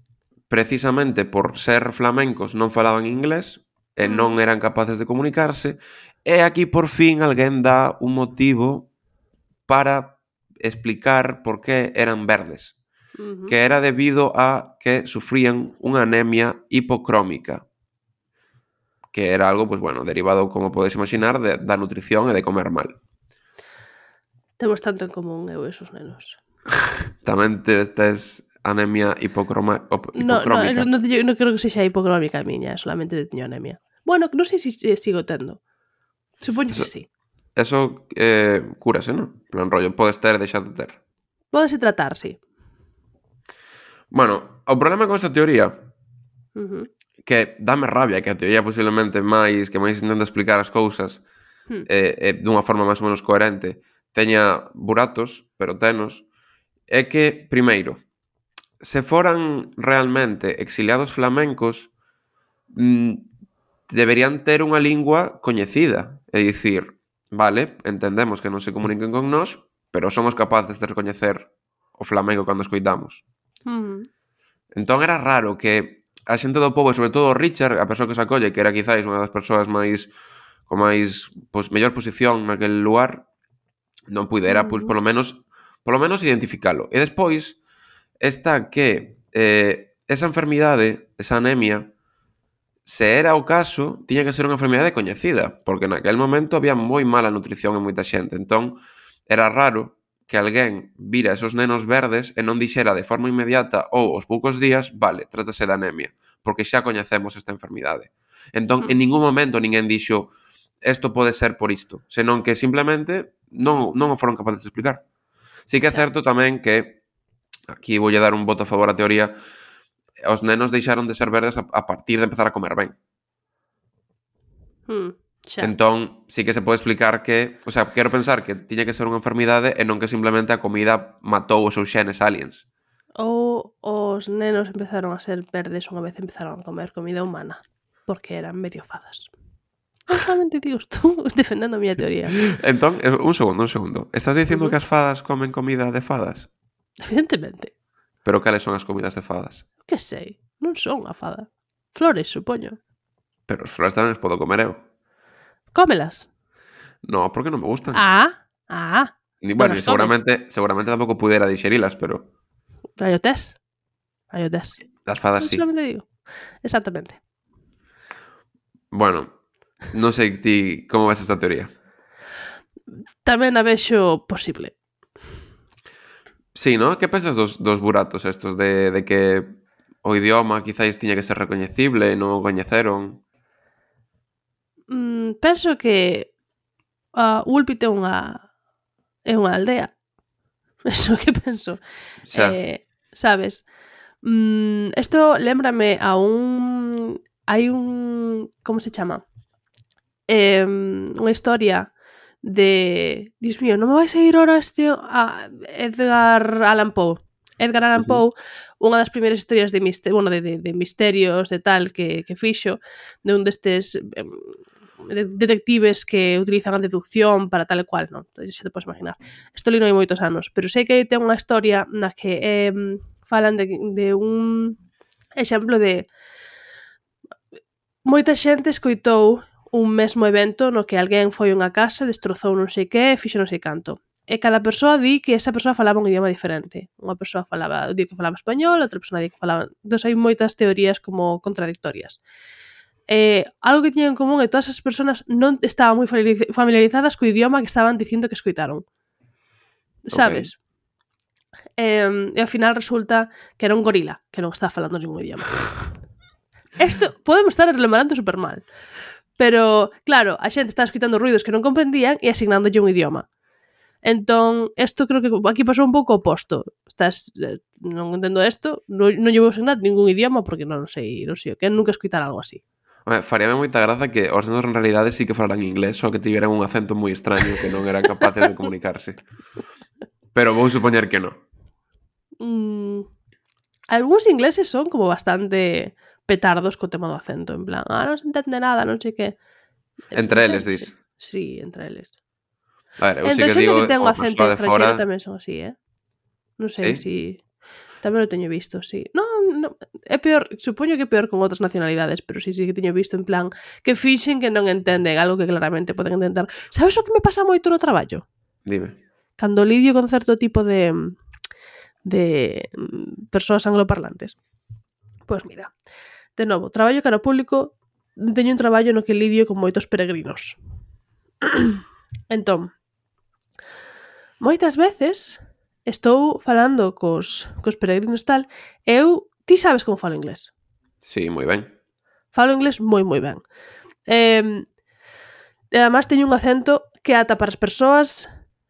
C: precisamente por ser flamencos non falaban inglés e non eran capaces de comunicarse, e aquí por fin alguén dá un motivo para explicar por que eran verdes, que era debido a que sufrían unha anemia hipocrómica, que era algo, pues bueno, derivado, como podes imaginar, da nutrición e de comer mal.
B: Temos tanto en común eu e esos nenos.
C: Tamén tes anemia hipocrómica.
B: Non creo que sexa hipocrómica a miña, solamente teño anemia. Bueno, non sei se sigo tendo. Supoño que sí.
C: Eso cúrase, non? Plan rollo, podes ter e deixar de ter.
B: Pódese tratar, sí.
C: Bueno, o problema con esta teoría que dame rabia que a teoría posiblemente máis intenta explicar as cousas dunha forma máis ou menos coherente teña buratos, pero tenos, é que, primeiro, se foran realmente exiliados flamencos, deberían ter unha lingua coñecida. É dicir, vale, entendemos que non se comuniquen con nós, pero somos capaces de recoñecer o flamenco cando escoitamos. Entón era raro que a xente do pobo, sobre todo Richard, a persoa que se acolle, que era quizáis unha das persoas con máis mellor posición naquel lugar, non puidera, pois, polo menos identificalo. E despois está que esa enfermidade, esa anemia, se era o caso, tiña que ser unha enfermidade coñecida, porque naquel momento había moi mala nutrición en moita xente. Entón, era raro que alguén vira esos nenos verdes e non dixera de forma inmediata ou aos poucos días, vale, trátase de anemia, porque xa coñecemos esta enfermidade. Entón, en ningún momento ninguén dixo isto pode ser por isto, senón que simplemente non o foron capaces de explicar. Sí que é certo tamén que, aquí voulle dar un voto a favor á teoría, os nenos deixaron de ser verdes a partir de empezar a comer ben.
B: Xa.
C: Entón, sí que se pode explicar que... O sea, quero pensar que tiña que ser unha enfermidade e non que simplemente a comida matou os seus xenes aliens.
B: Ou os nenos empezaron a ser verdes unha vez empezaron a comer comida humana, porque eran medio fadas. Non solamente digo tú defendendo a miña teoría.
C: Entón, un segundo. Estás dicindo que as fadas comen comida de fadas?
B: Evidentemente.
C: Pero cales son as comidas de fadas?
B: Que sei, non son unha fada. Flores, supoño.
C: Pero as flores tamén as podo comer eu.
B: Cómelas.
C: No, porque non me gustan. Bueno,
B: non
C: seguramente tampouco pudera digerilas, pero...
B: Hai o test.
C: Das fadas sí.
B: Solamente digo. Exactamente.
C: Bueno, non sei ti como ves esta teoría.
B: Tamén a vexo posible.
C: Sí, ¿no? Que pensas dos buratos estos de que o idioma quizáis tiña que ser recoñecible e non o coñeceron?
B: Penso que Ulpit é unha aldea. Eso que penso.
C: Xa.
B: Sabes? Isto lémbrame a un... Hai un... Como se chama? Unha historia de... Dios mío, non me vai sair ahora a Edgar Allan Poe. Edgar Allan Poe, unha das primeiras historias de misterios de tal que fixo, de un destes detectives que utilizan a deducción para tal e cual, non? Xa te podes imaginar. Isto li non hai moitos anos, pero sei que ten unha historia na que falan de un exemplo de moita xente escoitou un mesmo evento no que alguén foi a unha casa, destrozou non sei que e fixo non sei canto. E cada persoa di que esa persoa falaba un idioma diferente. Unha persoa di que falaba español, outra persoa di que falaba... Entón hai moitas teorías como contradictorias. Algo que tiñan en común é que todas as persoas non estaban moi familiarizadas co idioma que estaban dicindo que escoitaron. Sabes? Okay. E ao final resulta que era un gorila que non estaba falando ningún idioma. Isto podemos estar relembrando super mal. Pero, claro, a xente estaba escoitando ruidos que non comprendían e asignándolle un idioma. Entón, isto creo que aquí pasou un pouco oposto. Non entendo isto, non lle vou asignar ningún idioma porque non sei o que, nunca escoitar algo así.
C: Faríame moita graza que os nenos en realidade sí que falaran inglés, só que tiveran un acento moi extraño que non eran capaces de comunicarse. Pero vou supoñer que non.
B: Algúns ingleses son como bastante petardos co tema do acento, en plan, non se entende nada, non sei que.
C: Entre eles, dis?
B: Sí, entre eles.
C: A ver, eu sí que digo,
B: que ten un acento estranxeiro
C: fora...
B: tamén son así, Non sei si... Tamén o teño visto, sí. Non, é peor, supoño que é peor con outras nacionalidades, pero sí que teño visto en plan que fixen que non entenden algo que claramente poden entender. Sabes o que me pasa moito no traballo?
C: Dime.
B: Cando lidio con certo tipo de persoas angloparlantes. Pois mira, de novo, traballo cara ao público, teño un traballo no que lidio con moitos peregrinos. Entón, moitas veces estou falando cos peregrinos tal, ti sabes como falo inglés?
C: Sí, moi ben.
B: Falo inglés moi ben. E además teño un acento que ata para as persoas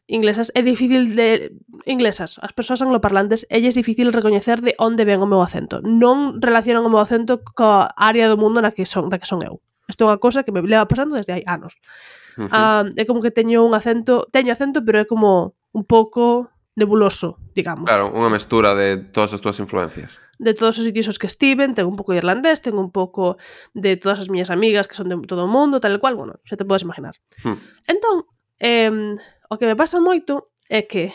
B: inglesas é difícil as persoas angloparlantes, elles é difícil recoñecer de onde ven o meu acento. Non relacionan o meu acento coa área do mundo da que son eu. Isto é unha cousa que me leva pasando desde hai anos. É como que teño acento, pero é como un pouco nebuloso, digamos.
C: Claro, unha mestura de todas as túas influencias.
B: De todos os sitios os que estiven, tengo un pouco de irlandés, tengo un pouco de todas as miñas amigas que son de todo o mundo, tal e cual, bueno, xa te podes imaginar. Entón, o que me pasa moito é que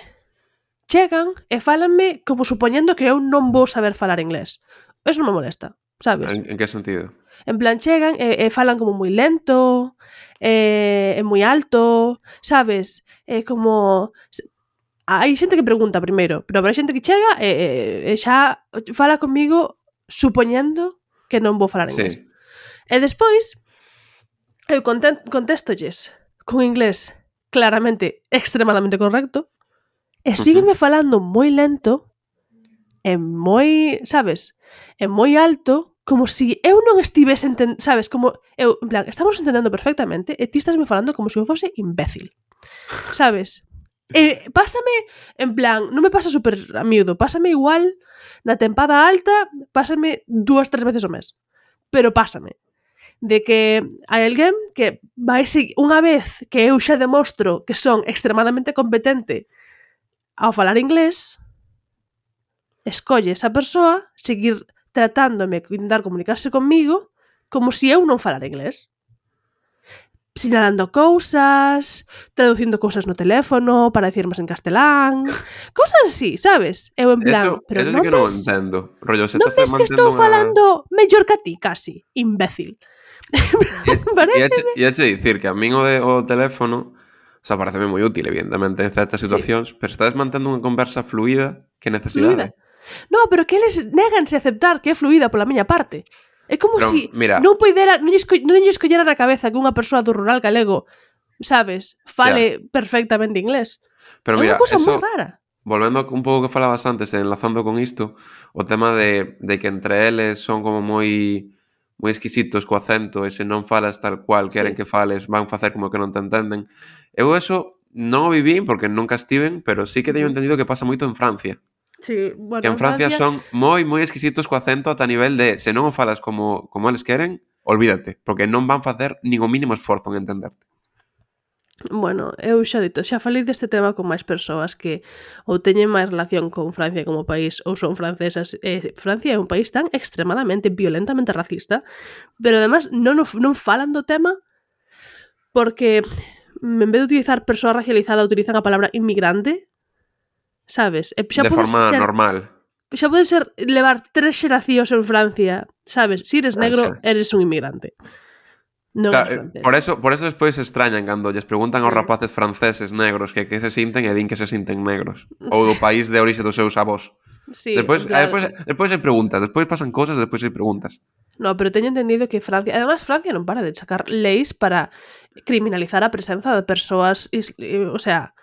B: chegan e fálanme como supoñendo que eu non vou saber falar inglés. Eso non me molesta, sabes?
C: En que sentido?
B: En plan, chegan e falan como moi lento, e moi alto, sabes? Como... Hai xente que pregunta primeiro, pero hai xente que chega e xa fala comigo supoñendo que non vou falar inglés.
C: Sí.
B: E despois, eu contestolles con inglés claramente extremadamente correcto e sígueme falando moi lento e moi, sabes, e moi alto, como si eu non estivese sabes, como eu, en plan, estamos entendendo perfectamente e ti estás me falando como se eu fose imbécil, sabes? Pásame, en plan, non me pasa super a miúdo, pásame igual na tempada alta, pásame 2-3 veces ao mes, pero pásame de que hai alguén que vai unha vez que eu xa demostro que son extremadamente competente ao falar inglés, escolle esa persoa seguir tratándome, intentar comunicarse comigo como se eu non falara inglés. Sinalando cousas, traducindo cousas no teléfono para dicirmas en castelán, cousas así, sabes? Eu en plan, pero
C: eso sí
B: non
C: que non
B: ves,
C: entendo. Rollo, se
B: non
C: estás
B: ves que
C: mantendo
B: estou falando mellor que a ti, casi, imbécil.
C: E che dicir que a min o teléfono, o sea, pareceme moi útil, evidentemente, en certas situacións, pero estás mantendo unha conversa fluida, que necesidade?
B: No, pero que eles néganse a aceptar que é fluida pola miña parte. É como
C: Pero,
B: si
C: mira,
B: non lle escollara na cabeza que unha persoa do rural galego, sabes, fale perfectamente inglés.
C: pero
B: É unha
C: mira,
B: cousa moi
C: eso,
B: rara.
C: volvendo un pouco que falabas antes, enlazando con isto, o tema de que entre eles son como moi exquisitos co acento e se non falas tal cual queren
B: Sí.
C: que fales, van facer como que non te entenden. Eu eso non o vivín porque nunca estiven, pero sí que teño entendido que pasa moito en Francia.
B: Sí,
C: Que
B: bueno,
C: en Francia son moi exquisitos co acento ata nivel de se non o falas como eles queren, olvídate, porque non van facer nin o mínimo esforzo en entenderte.
B: Bueno, eu xa falei deste tema con máis persoas que ou teñen máis relación con Francia como país ou son francesas. Francia é un país tan extremadamente, violentamente racista, pero además non falan do tema porque en vez de utilizar persoa racializada utilizan a palabra inmigrante, sabes? Xa
C: De forma normal.
B: Xa pode ser levar 3 xeracións en Francia, sabes? Si eres negro, eres un inmigrante. Non eres francés.
C: Por eso despois se extrañan cando lles preguntan aos rapaces franceses negros que se sinten e din que se sinten negros. Ou do país de orixe dos seus avós.
B: Sí,
C: Despois
B: claro.
C: hai preguntas, despois pasan cousas, despois hai preguntas.
B: No, pero teño entendido que Francia... Además, Francia non para de sacar leis para criminalizar a presenza de persoas... o sea,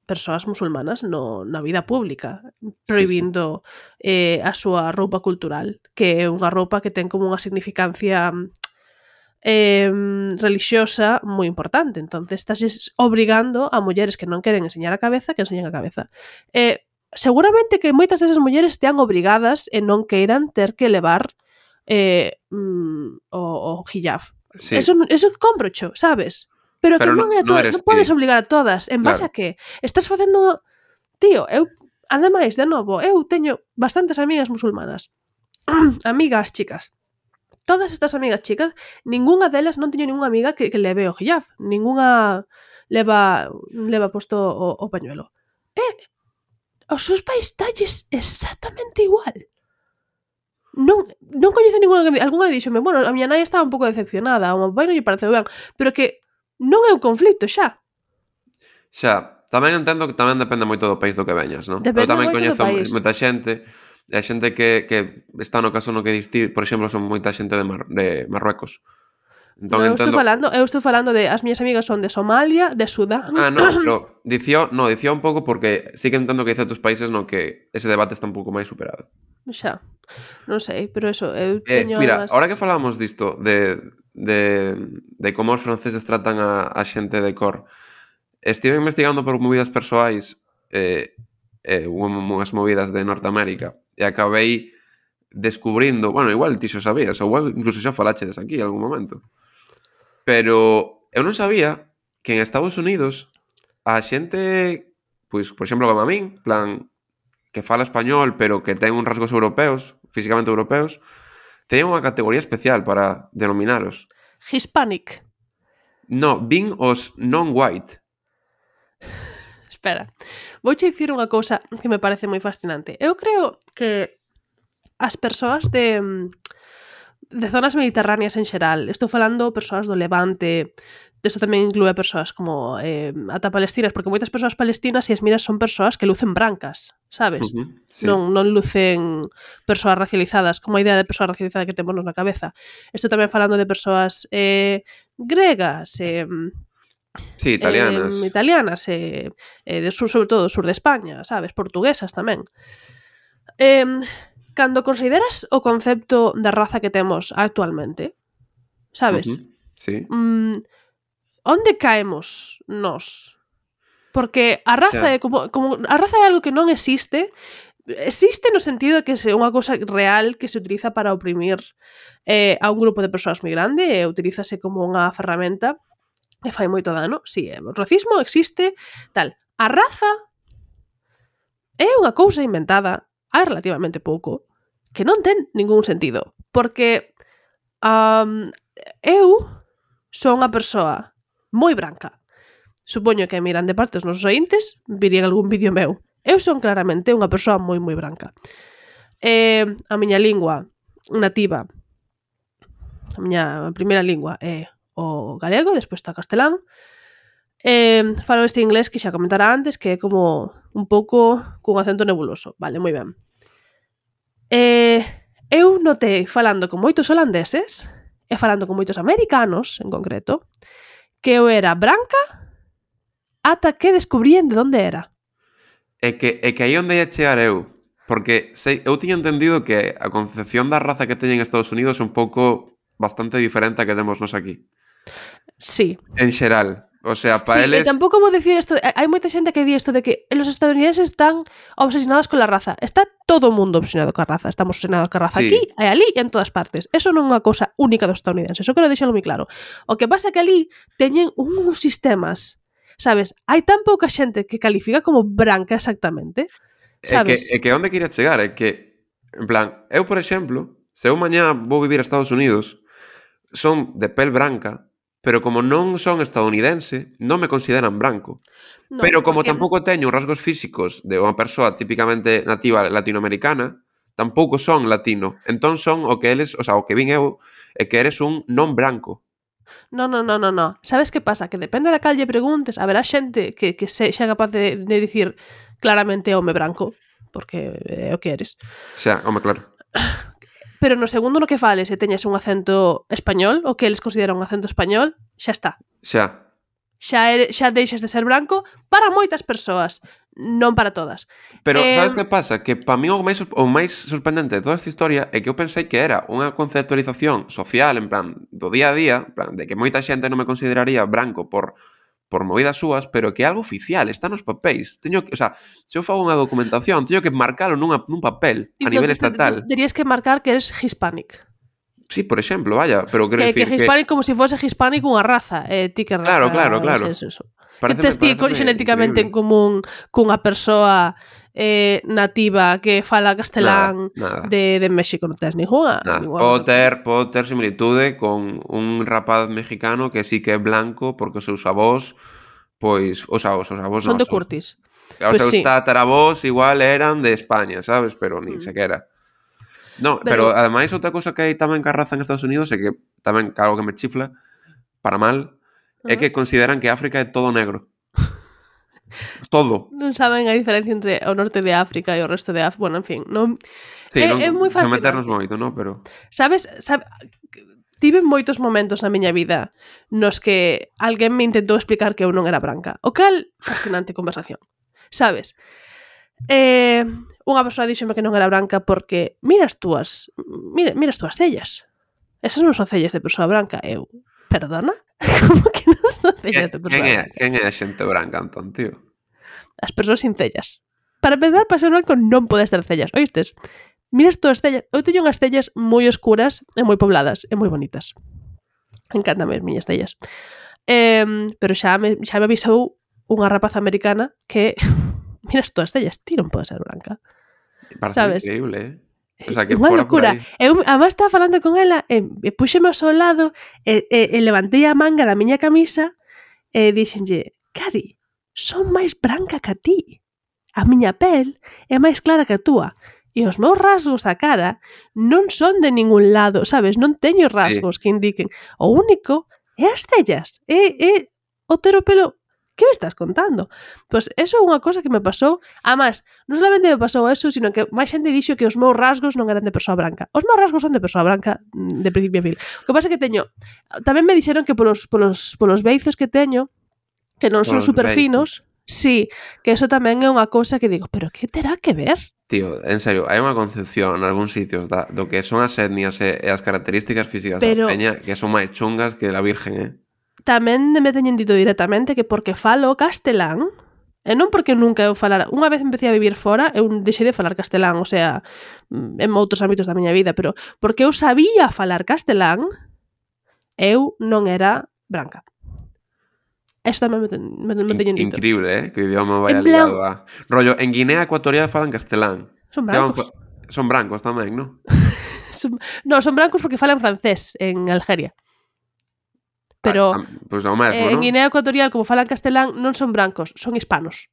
B: persoas musulmanas na vida pública, prohibindo a súa roupa cultural, que é unha roupa que ten como unha significancia religiosa moi importante. Entonces, estás obrigando a mulleres que non queren enseñar a cabeza que enseñen a cabeza. Seguramente que moitas desas mulleres estean obrigadas e non queiran ter que levar o hijab.
C: Sí.
B: Eso comprocho, sabes? Pero que non é todo, non podes obligar a todas. En base a que estás facendo... Tío, ademais, de novo, eu teño bastantes amigas musulmanas. Amigas chicas. Todas estas amigas chicas, ningunha delas non teño ningunha amiga que leve o hijab. Ningunha leva posto o pañuelo. Os seus pais talles exactamente igual. Non coñezo ningunha que... Algúnha díxome, bueno, a miña nai estaba un pouco decepcionada, ao meu pai non lle pareceu ben, pero que non é un conflito xa.
C: Xa, tamén entendo que tamén depende moito do país do que veñas, non? Eu tamén coñezo moita xente, e a xente que está no caso no que diste, por exemplo, son moita xente de Marruecos. Entón,
B: eu estou falando de as miñas amigas son de Somalia, de Sudán.
C: Pero dicía un pouco porque sí que entendo que hai certos países no que ese debate está un pouco máis superado.
B: Xa, non sei, pero eso, eu teño
C: mira, ahora que falamos disto de como os franceses tratan a xente de cor, estive investigando por movidas persoais unhas movidas de Norteamérica e acabei descubrindo, bueno, igual ti xo sabías, ou igual incluso xa falachedes aquí en algún momento, pero eu non sabía que en Estados Unidos a xente, pois, por exemplo, como a min, plan, que fala español pero que ten uns rasgos europeos, físicamente europeos, teñen unha categoría especial para denominaros.
B: Hispanic.
C: No, vin os non-white.
B: Espera, vouche dicir unha cousa que me parece moi fascinante. Eu creo que as persoas de zonas mediterráneas en xeral. Estou falando persoas do Levante, isto tamén inclúe persoas como ata palestinas, porque moitas persoas palestinas, se as miras, son persoas que lucen brancas, sabes?
C: Sí.
B: Non lucen persoas racializadas, como a idea de persoa racializada que temos na cabeza. Estou tamén falando de persoas gregas,
C: Sí, italianas.
B: italianas, de sur, sobre todo do sur de España, sabes? Portuguesas tamén. Cando consideras o concepto de raza que temos actualmente, sabes?
C: Sí.
B: Onde caemos nós? Porque a raza é como a raza é algo que non existe. Existe no sentido de que é unha cousa real que se utiliza para oprimir a un grupo de persoas moi grande e utilízase como unha ferramenta que fai moito dano. Si, o racismo existe, tal. A raza é unha cousa inventada hai relativamente pouco que non ten ningún sentido. Porque eu son unha persoa moi branca. Supoño que miran de parte os nosos ointes, virían algún vídeo meu. Eu son claramente unha persoa moi branca. A miña lingua nativa, a miña primeira lingua é o galego, despois está o castelán. Falo este inglés que xa comentara antes, que é como un pouco cun acento nebuloso. Vale, moi ben. Eu notei falando con moitos holandeses e falando con moitos americanos, en concreto, que eu era branca ata que descubrían de onde era.
C: É que aí onde ia chegar eu, porque eu tiña entendido que a concepción da raza que teñen en Estados Unidos é un pouco bastante diferente a que temos nos aquí.
B: Sí.
C: En xeral. O sea, para
B: sí,
C: eles...
B: tampouco vou dicir isto. Hai moita xente que di isto de que los estadounidenses están obsesionados con la raza. Está todo o mundo obsesionado con a raza. Estamos obsesionados con a raza aquí, e ali e en todas partes. Eso non é unha cousa única dos estadounidenses. Eso quero deixalo moi claro. O que pasa é que ali teñen uns sistemas, sabes? Hai tan pouca xente que califica como branca exactamente, sabes?
C: É que onde quería chegar é que, en plan, eu, por exemplo, se eu mañá vou vivir a Estados Unidos, son de pel branca, pero como non son estadounidense, non me consideran branco. No, pero como tampouco teño rasgos físicos de unha persoa típicamente nativa latinoamericana, tampouco son latino. Entón son o que eles, o sea, o que vin eu, é que eres un non branco.
B: No. Sabes que pasa? Que depende da cal lle preguntes, haberá xente que sexa capaz de dicir claramente home branco, porque é o que eres.
C: Xa, home, claro.
B: Pero no segundo no que fales e teñes un acento español, o que eles consideran un acento español, xa está. Xa deixas de ser branco para moitas persoas, non para todas.
C: Pero sabes que pasa? Que para mí o máis sorprendente de toda esta historia é que eu pensei que era unha conceptualización social, en plan, do día a día, en plan, de que moita xente non me consideraría branco por movidas súas, pero que é algo oficial, está nos papéis. Teño que, o sea, se eu fago unha documentación, teño que marcalo nun papel a nivel estatal.
B: Terías que marcar que eres hispanic.
C: Sí, por exemplo, vaya, pero quero
B: dicir que hispanic como se fose hispanic unha raza, ti que raza.
C: Claro.
B: Eso. Que tes ti xenéticamente en común cunha persoa nativa que fala castelán
C: nada.
B: De México, non tes ninguna.
C: Podo ter similitude con un rapaz mexicano que sí que é blanco porque os seus avós, pois, os avós
B: son de Curtis.
C: Os seus tataravós igual eran de España, sabes? Pero nin sequera. No, pero ademais outra cosa que hai tamén ca raza en Estados Unidos é que tamén algo que me chifla para mal é que consideran que África é todo negro. Todo.
B: Non saben a diferencia entre o norte de África e o resto de África. Bueno, en fin, non... Sí, é moi fascinante.
C: Meternos moito, non? Pero...
B: Sabes, tive moitos momentos na miña vida nos que alguén me intentou explicar que eu non era branca. O cal, fascinante conversación. Sabes? Unha persoa díxome que non era branca porque miras túas cellas. Esas non son cellas de persoa branca. Eu, perdona? Como que non son cellas de persoa branca?
C: Quen é a xente branca, Antón, tío?
B: As persoas sin cellas. Para empezar, para ser branco non podes ter cellas. Oístes? Miras túas cellas. Eu teño unhas cellas moi oscuras e moi pobladas e moi bonitas. Encántame as miñas cellas. Pero xa me avisou unha rapaza americana que miras túas cellas, ti non podes ser branca.
C: Parece increíble, O sea, que
B: unha locura. Eu además estaba falando con ela e puxeme ao seu lado e levantei a manga da miña camisa e dixenlle, Cari, son máis branca que a ti. A miña pel é máis clara que a túa. E os meus rasgos da cara non son de ningún lado, sabes? Non teño rasgos que indiquen. O único é as cellas. É o ter o pelo... Que me estás contando? Pois eso é unha cosa que me pasou. Además, non solamente me pasou eso, sino que máis xente dixo que os meus rasgos non eran de persoa branca. Os meus rasgos son de persoa branca de principio a fin. O que pasa é que teño... Tamén me dixeron que polos beizos que teño, que non son super finos, sí, que eso tamén é unha cousa que digo, pero que terá que ver?
C: Tío, en serio, hai unha concepción en algúns sitios do que son as etnias e as características físicas da peña que son máis chungas que la virgen,
B: Tamén me teñen dito directamente que porque falo castelán, e non porque nunca eu falara... Unha vez empecé a vivir fora, eu deixei de falar castelán, o sea, en outros ámbitos da miña vida, pero porque eu sabía falar castelán, eu non era branca. Eso tamén me teñen dito.
C: Increíble, que o idioma vaya ligado a... Rollo, en Guinea Ecuatorial falan castelán.
B: Son brancos.
C: Son brancos tamén, non?
B: Non, son brancos porque falan francés en Algeria. Pero
C: pues ao mesmo,
B: en Guinea Ecuatorial, como falan castelán, non son brancos, son hispanos.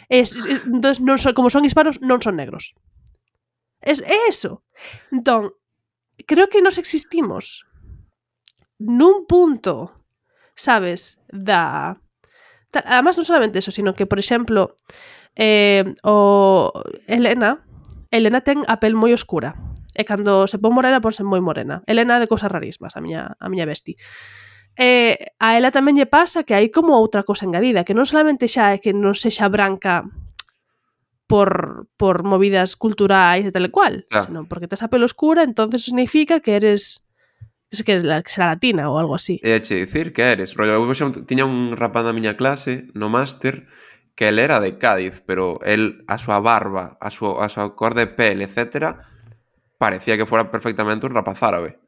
B: Entón, non son, como son hispanos, non son negros. É eso. Entón, creo que nos existimos nun punto, sabes, da... Además, non solamente eso, sino que, por exemplo, Elena ten a pel moi oscura. E cando se pon morena, ponse moi morena. Elena de cousas rarísimas, a miña besti. A ela tamén lle pasa que hai como outra cosa engadida, que non solamente xa é que non sexa branca por movidas culturais e tal e cual, sino porque tes a pelo oscura, entonces significa que eres que será latina ou algo así.
C: E che dicir que eres. Rollo, eu tiña un rapaz na miña clase, no máster, que el era de Cádiz, pero el, a súa barba, a súa cor de pel, etcétera, parecía que fora perfectamente un rapaz árabe.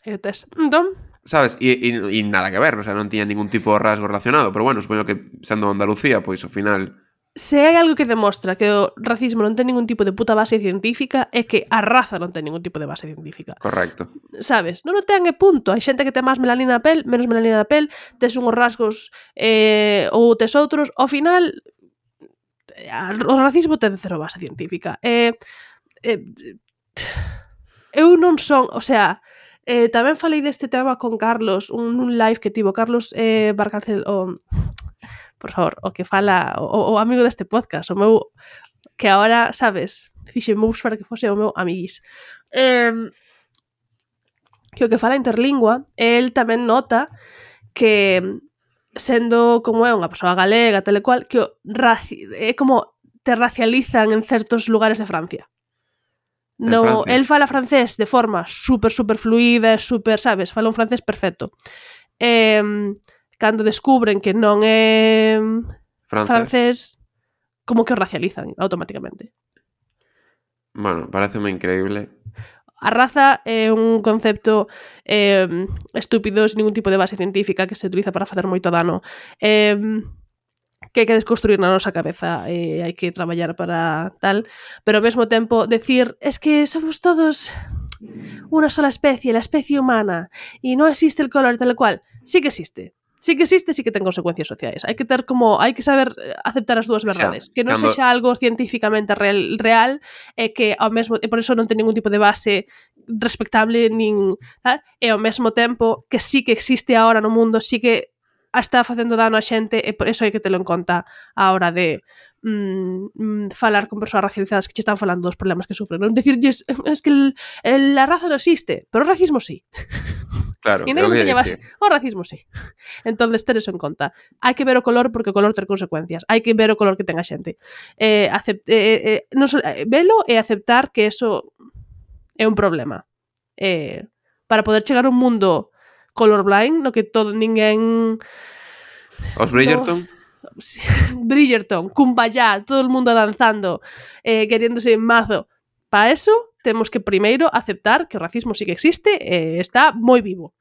B: Entón,
C: sabes? E nada que ver, o sea, non tiña ningún tipo de rasgo relacionado, pero bueno, supoño que sendo Andalucía, pois ao final...
B: Se hai algo que demostra que o racismo non ten ningún tipo de puta base científica é que a raza non ten ningún tipo de base científica.
C: Correcto.
B: Sabes? Non o ten e punto. Hai xente que ten máis melanina na pel, menos melanina na pel, tes unhos rasgos ou tes outros. Ao final, o racismo ten cero base científica. Eu non son... O sea... tamén falei deste tema con Carlos, un live que tivo Carlos Barcalcel, por favor, o que fala o amigo deste podcast, o meu, que agora, sabes, fixe moves para que fose o meu amiguís. Que o que fala interlingua, el tamén nota que sendo como é unha persoa galega, tal e cual, que é como te racializan en certos lugares de Francia. No, el fala francés de forma super fluida, super, sabes, fala un francés perfecto. Cando descubren que non é francés, como que o racializan automáticamente.
C: Bueno, pareceme increíble.
B: A raza é un concepto estúpido, sin ningún tipo de base científica, que se utiliza para facer moito dano. Que hai que desconstruir na nosa cabeza e hai que traballar para tal, pero ao mesmo tempo decir, es que somos todos unha sola especie, la especie humana, e non existe el color tal cual. Sí que existe, sí que ten consecuencias sociais. Hai que saber aceptar as dúas verdades, que non sexa algo científicamente real e que ao mesmo e por eso non ten ningún tipo de base respectable nin tal, e ao mesmo tempo que sí que existe agora no mundo, sí que está facendo dano a xente e por eso hai que telo en conta a hora de falar con persoas racializadas que che están falando dos problemas que sufren. Non dicirlles, es que la raza non existe, pero o racismo sí.
C: Claro,
B: e non teña base. O racismo sí. Entonces, ter eso en conta. Hai que ver o color porque o color ten consecuencias. Hai que ver o color que ten a xente. Velo e aceptar que eso é un problema. Para poder chegar a un mundo colorblind, no que todo ninguén...
C: Os Bridgerton?
B: Bridgerton, Kumbaya, todo el mundo danzando, queriéndose mazo. Para eso, temos que primeiro aceptar que o racismo sí que existe e está moi vivo.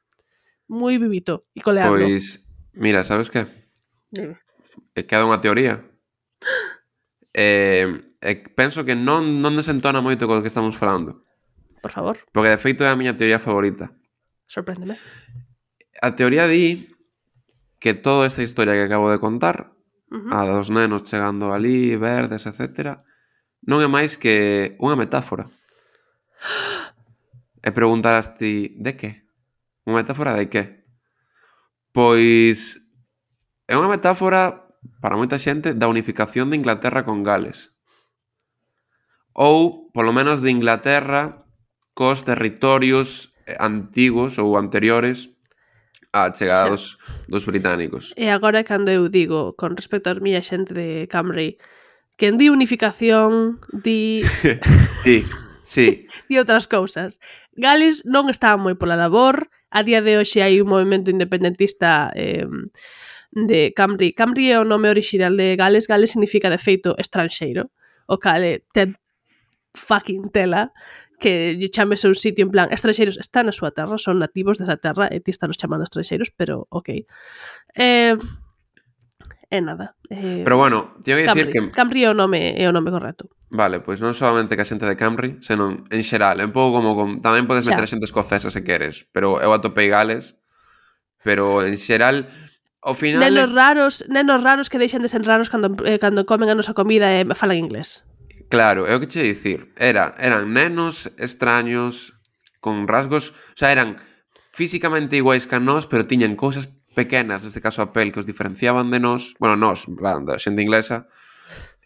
B: Moi vivito e coleando.
C: Pois, mira, sabes que? Queda unha teoría. Penso que non desentona moito co que estamos falando.
B: Por favor.
C: Porque de feito é a miña teoría favorita.
B: Sorpréndeme.
C: A teoría di que toda esta historia que acabo de contar, a dos nenos chegando ali, verdes, etcétera, non é máis que unha metáfora. E preguntarás ti, de que? Unha metáfora de que? Pois é unha metáfora para moita xente da unificación de Inglaterra con Gales. Ou, polo menos, de Inglaterra cos territorios antigos ou anteriores á chegada dos británicos.
B: E agora cando eu digo, con respecto a miña xente de Camry, quen di unificación, di
C: Sí.
B: di outras cousas. Gales non está moi pola labor, a día de hoxe hai un movimento independentista de Camry. Camry é o nome original de Gales. Gales significa, de feito, estranxeiro. O cale ten fucking tela que lle chames a un sitio en plan estranxeiros están na súa terra, son nativos desa terra e ti estás chamando estranxeiros, pero ok. E nada.
C: Pero bueno, teño que dicir que...
B: Camry é o nome correcto.
C: Vale, pois non solamente que a xente de Camry, senón en xeral, é un pouco como tamén podes meter a xente escocesa se queres, pero eu atopei Gales, pero en xeral ao final
B: nenos raros que deixan de ser raros cando comen a nosa comida e falan inglés.
C: Claro, é o que che dicir. Eran nenos extraños con rasgos, o sea, eran físicamente iguais que a nós, pero tiñan cousas pequenas, neste caso a pel, que os diferenciaban de nós, bueno, nós, da xente inglesa.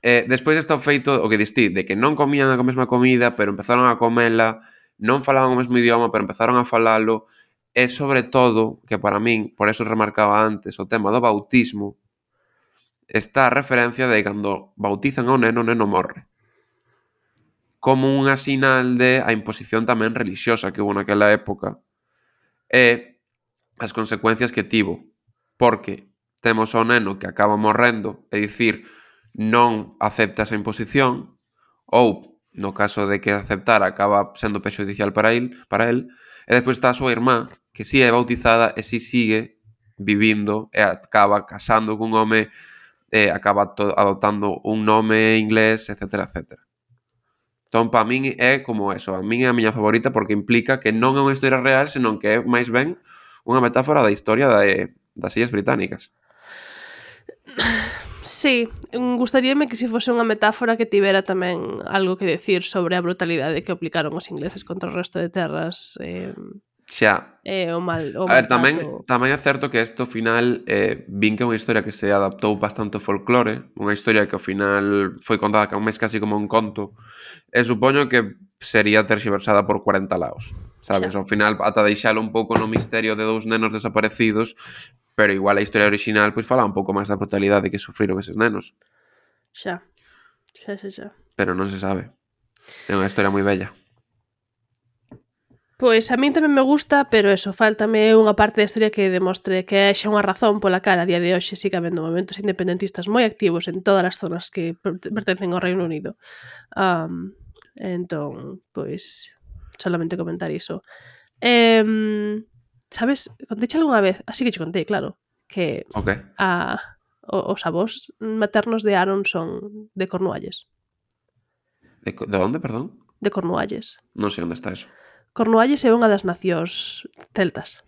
C: Despois está o feito, o que distí, de que non comían a mesma comida, pero empezaron a comela, non falaban o mesmo idioma, pero empezaron a falalo, e sobre todo, que para min, por eso remarcaba antes, o tema do bautismo, está a referencia de cando bautizan ao neno, o neno morre. Como unha sinal de a imposición tamén religiosa que hubo naquela época e as consecuencias que tivo. Porque temos ao neno que acaba morrendo, é dicir, non acepta esa imposición, ou, no caso de que aceptara, acaba sendo perxudicial para el, e despois está a súa irmá, que si é bautizada e si sigue vivindo e acaba casando cun home, acaba adoptando un nome inglés, etc, etc. Entón, para min é como eso. A min é a miña favorita porque implica que non é unha historia real, senón que é máis ben unha metáfora da historia das Illas Británicas.
B: Sí, gustaríame que se fose unha metáfora que tivera tamén algo que decir sobre a brutalidade que aplicaron os ingleses contra o resto de terras.
C: Xa.
B: O mal
C: a ver, tamén é certo que isto ao final vin que é unha historia que se adaptou bastante ao folclore, unha historia que ao final foi contada máis casi como un conto, e supoño que sería terxiversada por 40 laos, sabes? Xa. Ao final, ata deixalo un pouco no misterio de dous nenos desaparecidos, pero igual a historia original pois fala un pouco máis da brutalidade que sufriron eses nenos.
B: Xa.
C: Pero non se sabe. É unha historia moi bella.
B: Pois a min tamén me gusta, pero eso, faltame unha parte da historia que demostre que haxa unha razón pola cara a día de hoxe siga habendo movimentos independentistas moi activos en todas as zonas que pertencen ao Reino Unido. Entón, pois, solamente comentar iso. Sabes, conteiche algunha vez, así que che contei, claro, que os avós maternos de Aaron son de Cornualles.
C: De onde, perdón?
B: De Cornualles.
C: Non sei onde está eso.
B: Cornualles é unha das nacións celtas.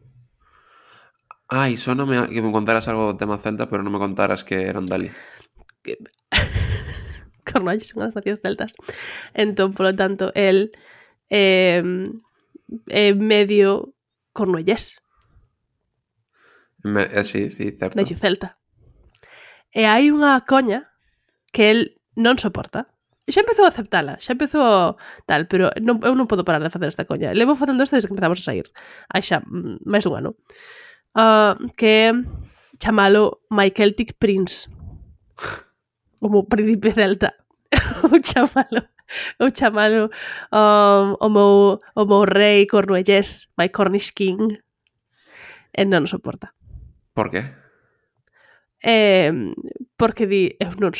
C: Ai, soname que me contaras algo do tema celta, pero non me contaras que eran dali.
B: Cornualles é unha das nacións celtas. Entón, polo tanto, el é medio cornuellés.
C: Sí, certo.
B: Medio celta. E hai unha coña que el non soporta. Xa empezou a aceptala, xa empezou tal, pero eu non podo parar de facer esta coña. Levo facendo isto desde que empezamos a sair. Hai xa máis dun ano. Que chamalo My Celtic Prince. Como príncipe celta. Ou chamalo o meu rei cornuellés, My Cornish King. E non o soporta.
C: Por qué?
B: Porque di, eu non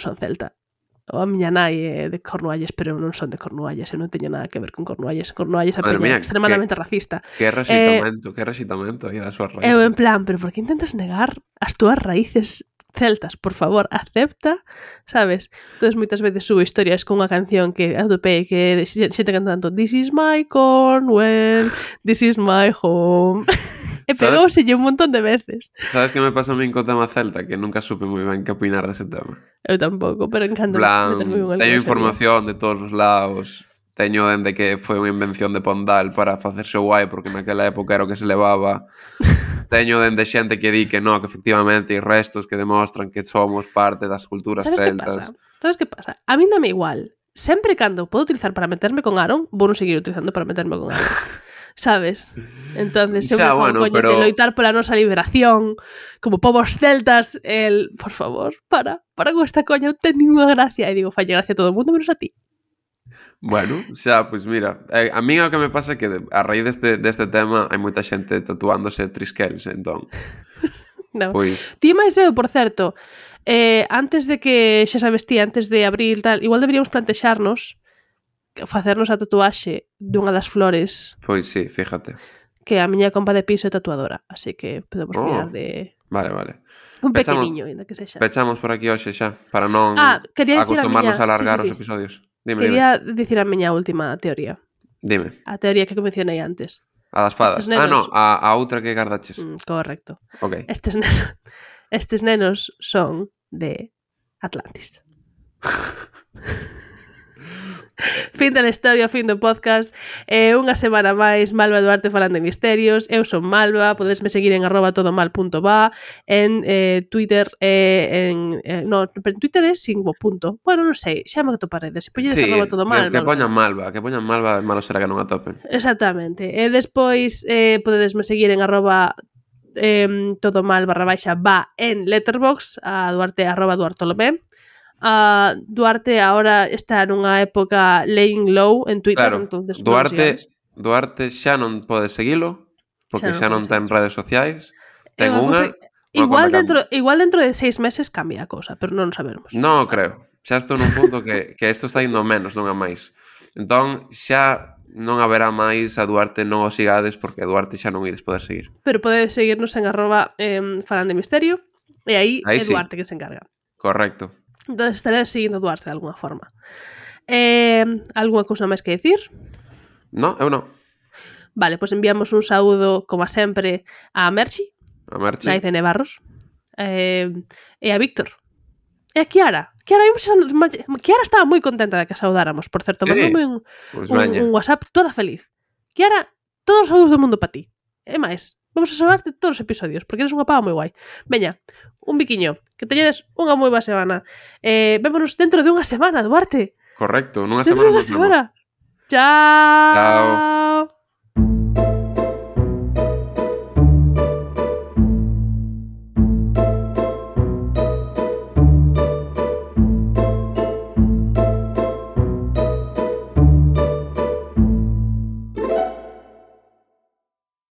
B: son celta. A miña nai é de Cornualles, pero eu non son de Cornualles, eu non teño nada que ver con Cornualles. Cornualles é extremadamente racista.
C: Que resitamento aí das súas raíces.
B: Eu en plan, pero por que intentas negar as túas raíces celtas? Por favor, acepta, sabes? Entón, moitas veces subo historias con unha canción que atopei que xente cantando This is my Cornwall, this is my home. E pegouselle un montón de veces.
C: Sabes que me pasa a min co tema celta? Que nunca supe moi ben que opinar dese tema.
B: Eu tampouco, pero encanta meterme
C: Plan,
B: con
C: teño información de todos os lados. Teño dende que foi unha invención de Pondal para facerse guai, porque naquela época era o que se levaba. Teño dende xente que di que no, que efectivamente hai restos que demostran que somos parte das culturas celtas.
B: Sabes que pasa? A min dame igual. Sempre cando podo utilizar para meterme con Aaron, vou non seguir utilizando para meterme con Aaron. Sabes? Entonces, eu me fago coñas de loitar pola nosa liberación como povos celtas, por favor, para con esta coña, non ten ninguna gracia. E digo, falle gracia a todo o mundo menos a ti.
C: Bueno, xa, pois mira, a mí o que me pasa é que a raíz deste tema hai moita xente tatuándose trisquels, entón.
B: No.
C: Pois.
B: Ti máis eu, por certo, antes de que, xa sabes ti, antes de abril tal, igual deberíamos plantexarnos facernos a tatuaxe dunha das flores.
C: Pois sí, fíjate.
B: Que a miña compa de piso é tatuadora, así que podemos mirar de...
C: Vale.
B: Un pequeniño, ainda que sexa.
C: Pechamos por aquí hoxe xa, para non
B: acostumarnos
C: a alargar os episodios.
B: Quería dicir a miña última teoría.
C: Dime.
B: A teoría que mencionei antes.
C: A das fadas. No, a outra que gardaches.
B: Correcto.
C: Ok.
B: Estes nenos son de Atlantis. Fin da historia, fin do podcast. Unha semana máis, Malva e Duarte falando de misterios. Eu son Malva, podesme seguir en @todomal.va, en Twitter, en Twitter é sin o punto. Bueno, non sei, xa me atoparedes. Polledes @todomal.
C: Que poñan Malva, malo será que non atopen.
B: Exactamente. E despois podedesme seguir en @todomal_va en Letterboxd, a Duarte @duartolomé. Duarte ahora está nunha época laying low en Twitter,
C: claro,
B: entonces
C: Duarte xa non pode seguilo porque xa non ten redes sociais. Ten unha.
B: Igual dentro de 6 meses cambia a cousa, pero non sabemos.
C: Non creo. Xa estou nun punto que isto está indo menos, non a máis. Entón xa non haberá máis a Duarte, non o sigades porque a Duarte xa non ides poder seguir.
B: Pero podedes seguirnos en @falandemisterio e aí é Duarte que se encarga.
C: Correcto.
B: Entonces estaré seguindo Duarte de alguna forma. Alguna cousa máis que decir?
C: No, eu non.
B: Vale, pois enviamos un saúdo, como sempre, a Merchi. Naiz de Nevarros. E a Víctor. E a Kiara. Kiara estaba moi contenta de que a saudáramos, por certo. Mandoume un WhatsApp toda feliz. Kiara, todos os saúdos do mundo para ti. E máis, vamos a saudarte todos os episodios, porque eres unha pava moi guai. Veña, un biquiño, que teñedes unha moi boa semana. Vémonos dentro de unha semana, Duarte.
C: Correcto, nunha
B: semana. Chao.